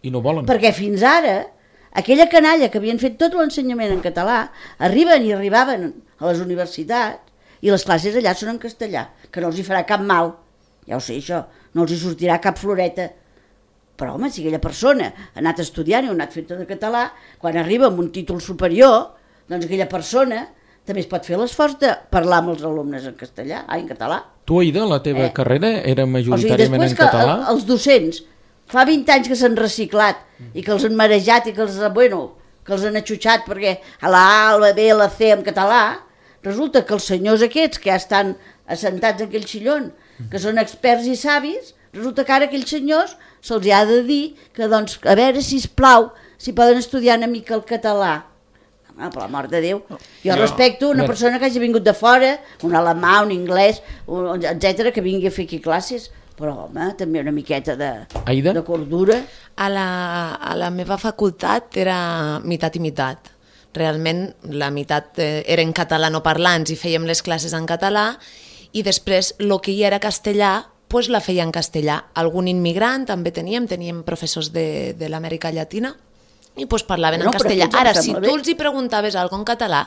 I no volen. Perquè fins ara, aquella canalla que havien fet tot l'ensenyament en català, arribaven a les universitats i les classes allà són en castellà, que no els hi farà cap mal, ja ho sé això, no els hi sortirà cap floreta. Però home, si aquella persona ha anat estudiant i ha anat fent tot en català, quan arriba amb un títol superior, doncs aquella persona també es pot fer l'esforç de parlar amb els alumnes en castellà, en català. Tu, Aida, la teva carrera era majoritàriament en després català? Que els docents, fa 20 anys que s'han reciclat i que els han marejat i que els han atxutxat perquè a la A, a la B, a la C en català, resulta que els senyors aquests que ja estan assentats en aquell xillon, que són experts i savis, resulta que ara aquells senyors se'ls ha de dir que, doncs, a veure, sisplau, si poden estudiar una mica el català. Home, per l'amor de Déu. Jo respecto una persona que hagi vingut de fora, un alemà, un anglès, etc, que vingui a fer aquí classes, però, home, també una miqueta de cordura. A la meva facultat era meitat i meitat. Realment la meitat era en catalanoparlants i fèiem les classes en català, i després el que hi era castellà pues la feia en castellà. Algun immigrant també teníem professors de l'Amèrica Llatina i pues parlaven en castellà. Ara, si tu els hi preguntaves alguna cosa en català,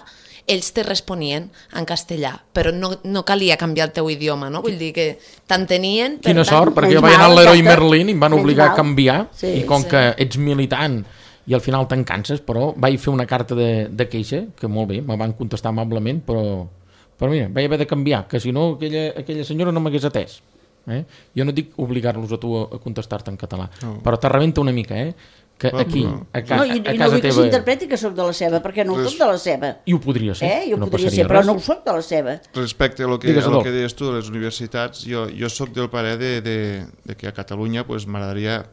ells te responien en castellà, però no calia canviar el teu idioma, no? Vull dir que t'entenien... Quina sort, perquè jo vaig anar a l'Heroi Merlín i em van obligar a canviar, i com que ets militant i al final te'n canses, però vaig fer una carta de queixa, que molt bé, me van contestar amablement, però mira, vaig haver de canviar, que si no aquella senyora no m'hagués atès. Jo no dic obligar-los a tu a contestar-te en català, però te rebenta una mica, que aquí, a casa teva... I no vull que s'interpreti que soc de la seva, perquè no ho soc de la seva. I ho podria ser, no podria ser, però no ho soc de la seva. Respecte a lo que deies tu de les universitats, jo soc del parer de que a Catalunya m'agradaria,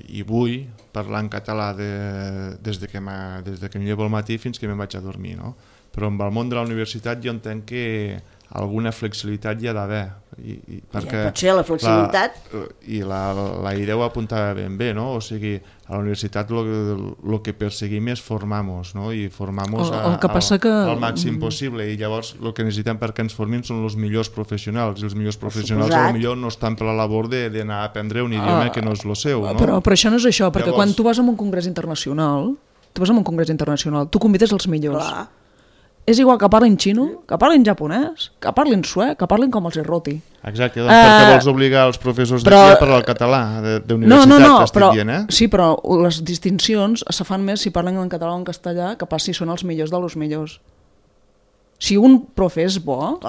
i vull parlar en català des que em llevo al matí fins que me'n vaig a dormir, no? Però amb el món de la universitat jo entenc que alguna flexibilitat hi ha d'haver. Pot ser la flexibilitat. I la idea ho apuntava ben bé, no? O sigui, a la universitat el que perseguim és formar-nos, no? I formar-nos al màxim possible. I llavors el que necessitem perquè ens formin són els millors professionals. I els millors professionals potser no estan per la labor d'anar a aprendre un idioma que no és el seu, no? Però això no és això, perquè quan tu vas a un congrés internacional, tu convides els millors. Clar. És igual que parlin xino, que parlin japonès, que parlin suec, que parlin com els roti. Exacte, doncs perquè vols obligar els professors d'aquí a parlar el català d'universitat, t'estic dient, Sí, però les distincions se fan més si parlen en català o en castellà que pas si són els millors dels millors. Si un profe és bo,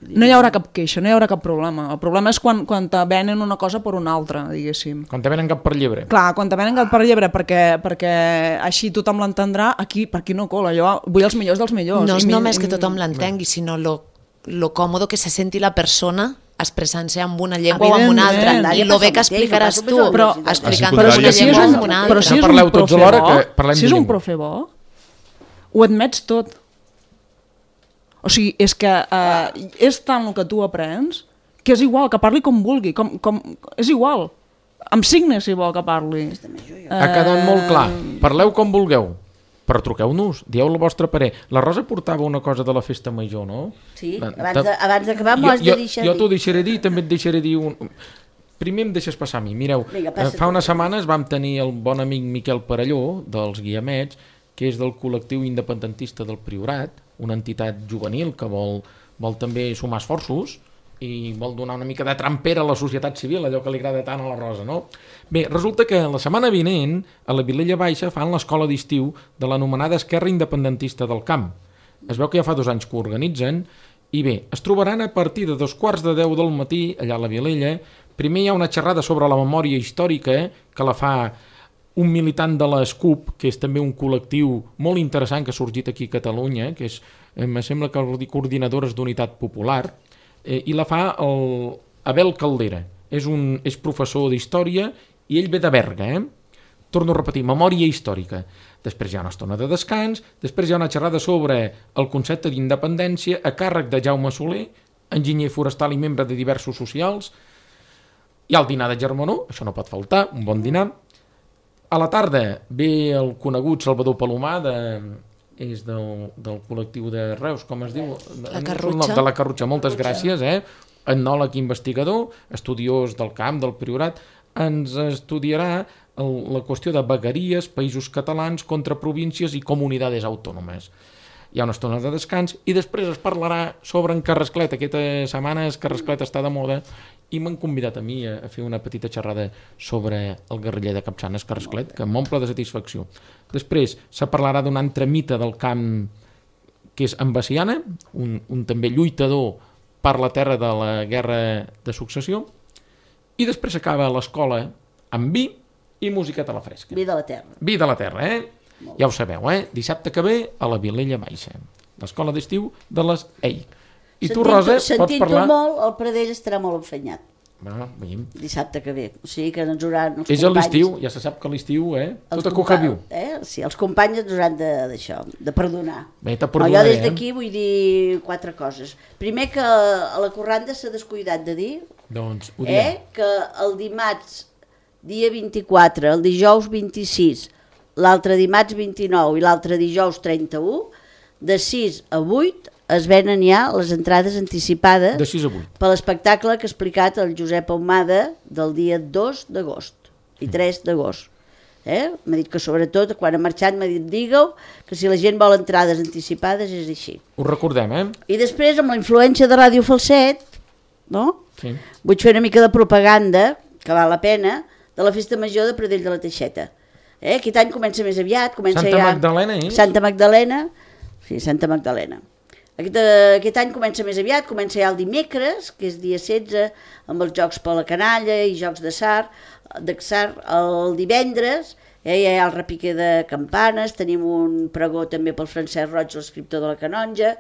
no hi haurà cap queixa, no hi haurà cap problema. El problema és quan te venen una cosa per una altra, diguéssim. Quan te venen cap per llebre. Clar, quan te venen cap per llebre, perquè així tothom l'entendrà, per aquí no cola. Jo vull els millors dels millors. No és només que tothom l'entengui, sinó lo còmodo que se senti la persona expressant-se amb una llengua o amb una altra. I lo bé que explicaràs tu explicant una llengua o amb una altra. Però si és un profe bo, ho admets tot. O sigui, és que és tant el que tu aprens que és igual, que parli com vulgui, és igual, amb signes si vol que parli. Ha quedat molt clar, parleu com vulgueu, però truqueu-nos, dieu el vostre parer. La Rosa portava una cosa de la festa major, no? Sí, abans d'acabar m'ho has de deixar dir. Jo t'ho deixaré dir, també et deixaré dir Primer em deixes passar a mi. Mireu, fa unes setmanes vam tenir el bon amic Miquel Parelló, dels Guiamets, que és del col·lectiu independentista del Priorat, una entitat juvenil que vol també sumar esforços i vol donar una mica de trampera a la societat civil, allò que li agrada tant a la Rosa, no? Bé, resulta que la setmana vinent a la Vilella Baixa fan l'escola d'estiu de l'anomenada Esquerra Independentista del Camp. Es veu que ja fa 2 anys que ho organitzen i bé, es trobaran a partir de 9:45 del matí allà a la Vilella. Primer hi ha una xerrada sobre la memòria històrica que la fa un militant de l'ESCUP, que és també un col·lectiu molt interessant que ha sorgit aquí a Catalunya, que és, em sembla que vol dir Coordinadores d'Unitat Popular, i la fa Abel Caldera. És professor d'història i ell ve de Berga, Torno a repetir, memòria històrica. Després hi ha una estona de descans, després hi ha una xerrada sobre el concepte d'independència a càrrec de Jaume Soler, enginyer forestal i membre de diversos socials. Hi ha el dinar de Germanó, això no pot faltar, un bon dinar. A la tarda ve el conegut Salvador Palomar, és del col·lectiu de Reus, com es diu? La Carrutxa. De la Carrutxa, moltes gràcies, etnòleg investigador, estudiós del camp, del Priorat, ens estudiarà la qüestió de vegueries, països catalans contra províncies i comunitats autònomes. Hi ha una estona de descans i després es parlarà sobre en Carrasclet. Aquesta setmana Carrasclet està de moda i m'han convidat a mi a fer una petita xerrada sobre el guerriller de Capçanes, Carrasclet, que m'omple de satisfacció. Després se parlarà d'un altre mite del camp que és en Baciana, un també lluitador per la terra de la guerra de successió, i després acaba l'escola amb vi i musiqueta a la fresca. Vi de la terra. Vi de la terra, Ja ho sabeu, Dissabte que ve a la Vilella Baixa, l'escola d'estiu de les EI. I tu, Rosa, pots parlar... Sentint-ho molt, el Pradell estarà molt enfanyat. Bueno, veiem. Dissabte que ve. O sigui que ens hauran els és companys... a l'estiu, ja se sap que a l'estiu, tot a coca viu. Sí, els companys ens hauran d'això, de perdonar. Bé, te perdonaré, jo des d'aquí vull dir 4 coses. Primer, que a la Corranda s'ha descuidat de dir doncs, ho diem. Que el dimarts, dia 24, el dijous 26, l'altre dimarts 29 i l'altre dijous 31, de 6 a 8, es venen ja les entrades anticipades de 6 a 8 per l'espectacle que ha explicat el Josep Ahumada del dia 2 d'agost i 3 d'agost. M'ha dit que sobretot quan ha marxat m'ha dit digue-ho, que si la gent vol entrades anticipades és així. Ho recordem, I després amb la influència de Ràdio Falset, no? Sí. Vull fer una mica de propaganda, que val la pena, de la festa major de Pradell de la Teixeta. Aquest any comença més aviat, comença Santa Magdalena, Santa Magdalena, sí, Santa Magdalena. Aquest any comença més aviat, comença ja el dimecres, que és dia 16, amb els jocs per la canalla i jocs d'atzar. El divendres hi ha el repiquer de campanes, tenim un pregó també pel Francesc Roig, l'escriptor de la canonja,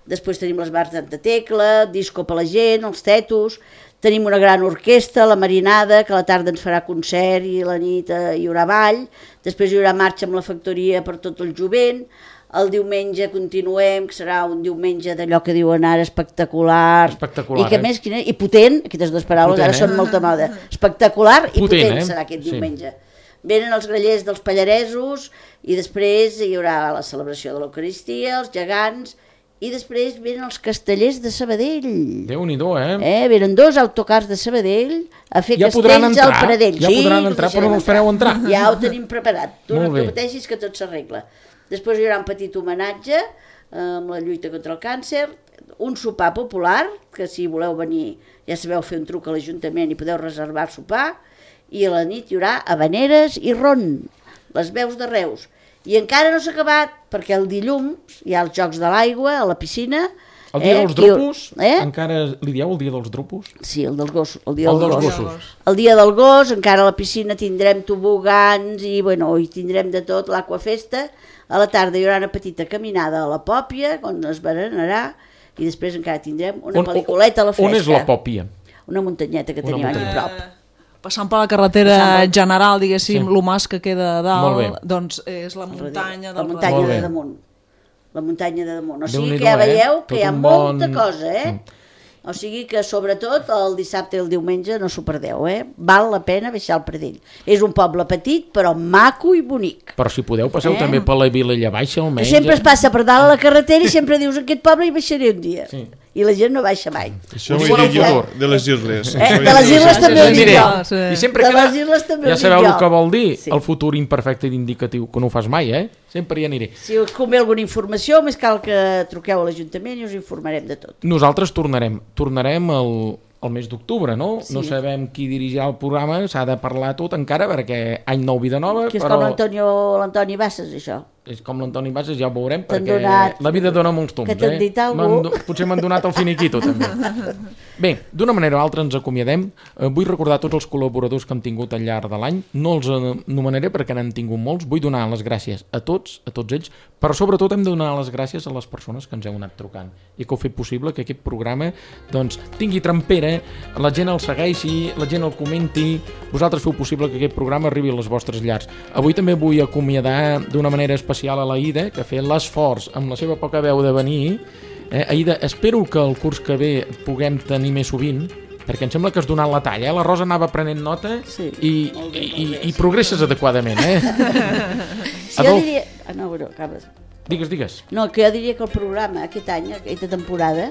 després tenim les bars d'Anta Tecla, disco per la gent, els tetos, tenim una gran orquestra, la Marinada, que a la tarda ens farà concert i a la nit hi haurà ball, després hi haurà marxa amb la factoria per tot el jovent. El diumenge continuem, que serà un diumenge d'allò que diuen ara espectacular, espectacular, i que més, i potent, aquestes dues paraules potent, ara són molta moda, espectacular i potent serà aquest diumenge. Venen els grallers dels Pallaresos i després hi haurà la celebració de l'Eucaristia, els gegants, i després venen els castellers de Sabadell. Déu-n'hi-do, Venen 2 autocars de Sabadell a fer ja castells al Pradell. Ja podran entrar, però no els fareu entrar. Ja ho tenim preparat, tu no et pateixis que tot s'arregla. Després hi haurà un petit homenatge amb la lluita contra el càncer, un sopar popular, que si voleu venir ja sabeu fer un truc a l'Ajuntament i podeu reservar sopar, i a la nit hi haurà habaneres i ron, les veus de Reus. I encara no s'ha acabat, perquè el dilluns hi ha els Jocs de l'Aigua a la piscina. El dia dels dropos? Encara li dieu el dia dels dropos? Sí, el dels gossos. El dia dels gossos. El dia del gos, encara a la piscina tindrem tobogans i hi tindrem de tot, l'aquafesta. A la tarda hi haurà una petita caminada a la Pòpia, on es berenarà, i després encara tindrem una pel·lículeta a la fresca. On és la Pòpia? Una muntanyeta que tenim aquí a prop. Passant per la carretera general, diguéssim, el mas que queda a dalt, doncs és la muntanya del muntanya de damunt. La muntanya de damunt. O sigui que ja veieu que hi ha molta cosa, O sigui que sobretot el dissabte i el diumenge no s'ho perdeu, Val la pena baixar al Pradell. És un poble petit però maco i bonic. Però si podeu passeu també per la Vilella Baixa almenys. Sempre es passa per dalt a la carretera i sempre dius aquest poble hi baixaré un dia. i la gent no baixa mai. Això ho he dit jo, de les Isles. De les Isles també ho dic jo. I sempre De queda... les Isles també ho Ja dic sabeu jo. el que vol dir, Sí. el futur imperfecte i indicatiu, que no ho fas mai, Sempre hi aniré. Si us convé alguna informació, més cal que truqueu a l'Ajuntament i us informarem de tot. Nosaltres tornarem el mes d'octubre, no? Sí. No sabem qui dirigirà el programa, s'ha de parlar tot encara, perquè any nou, vida nova, Que és però... com l'Antoni Bassas, això. És com l'Antoni Bassas, ja ho veurem, T'han perquè donat- la vida dona molts tombs, que t'han dit algú. Potser m'han donat el finiquito, també. Bé, d'una manera o altra ens acomiadem. Vull recordar tots els col·laboradors que hem tingut al llarg de l'any. No els anomenaré perquè n'han tingut molts. Vull donar les gràcies a tots ells, però sobretot hem de donar les gràcies a les persones que ens heu anat trucant i que heu fet possible que aquest programa doncs, tingui trempera, la gent el segueixi, la gent el comenti. Vosaltres feu possible que aquest programa arribi a les vostres llars. Avui també vull acomiadar d'una manera especial a l'Aida, que ha fet l'esforç amb la seva poca veu de venir. Aida, espero que el curs que ve puguem tenir més sovint, perquè em sembla que has donat la talla. La Rosa anava prenent nota Sí, i progresses adequadament. Si jo diria... no, bueno, acabes. Digues. No, que jo diria que el programa aquest any, aquesta temporada,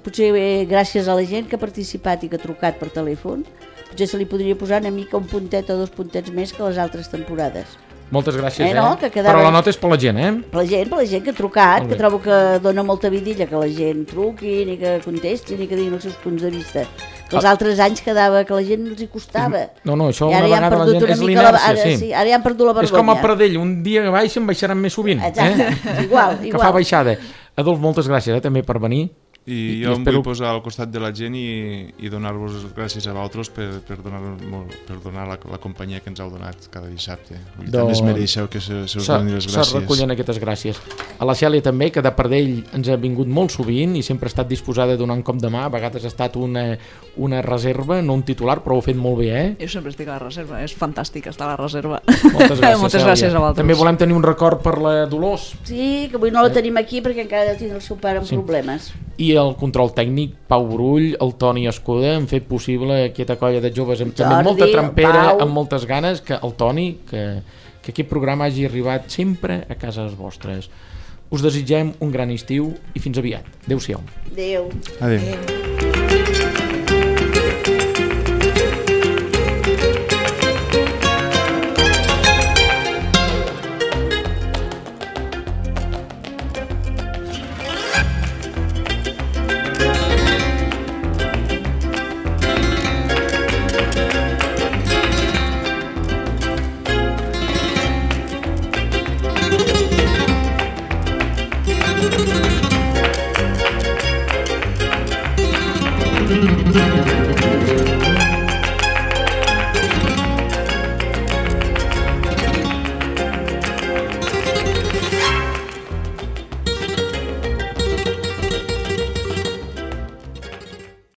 potser gràcies a la gent que ha participat i que ha trucat per telèfon, potser se li podria posar una mica un puntet o 2 puntets més que les altres temporades. Moltes gràcies, no, que quedava... Però la nota és per la gent, Per la gent que ha trucat, que trobo que dona molta vidilla que la gent truqui, ni que contesti, ni que diguin els seus punts de vista. Que els altres anys quedava que la gent els hi costava. No, això I una vegada la gent... És l'inèrcia, sí. Ara ja han perdut la vergonya. És com a Pradell, un dia baixen, baixaran més sovint. Exacte, igual. Que fa baixada. Adolf, moltes gràcies també per venir. I jo em vull posar al costat de la gent i donar-vos gràcies a vosaltres per donar la companyia que ens heu donat cada dissabte. També es mereixeu que se us doni les gràcies. Se recullen aquestes gràcies. A la Cèlia també, que de Pardell ens ha vingut molt sovint i sempre ha estat disposada a donar un cop de mà. A vegades ha estat una reserva, no un titular, però ho ha fet molt bé, Jo sempre estic a la reserva, és fantàstic estar a la reserva. Moltes gràcies, Moltes gràcies a vosaltres. També volem tenir un record per la Dolors. Sí, que avui no la tenim aquí perquè encara ha de tenir el seu pare amb problemes. I el control tècnic, Pau Brull, el Toni Escuda, han fet possible aquesta colla de joves amb també molta trempera, amb moltes ganes, que el Toni, que aquest programa hagi arribat sempre a cases vostres. Us desitgem un gran estiu i fins aviat. Adéu-siau. Adéu. Adéu.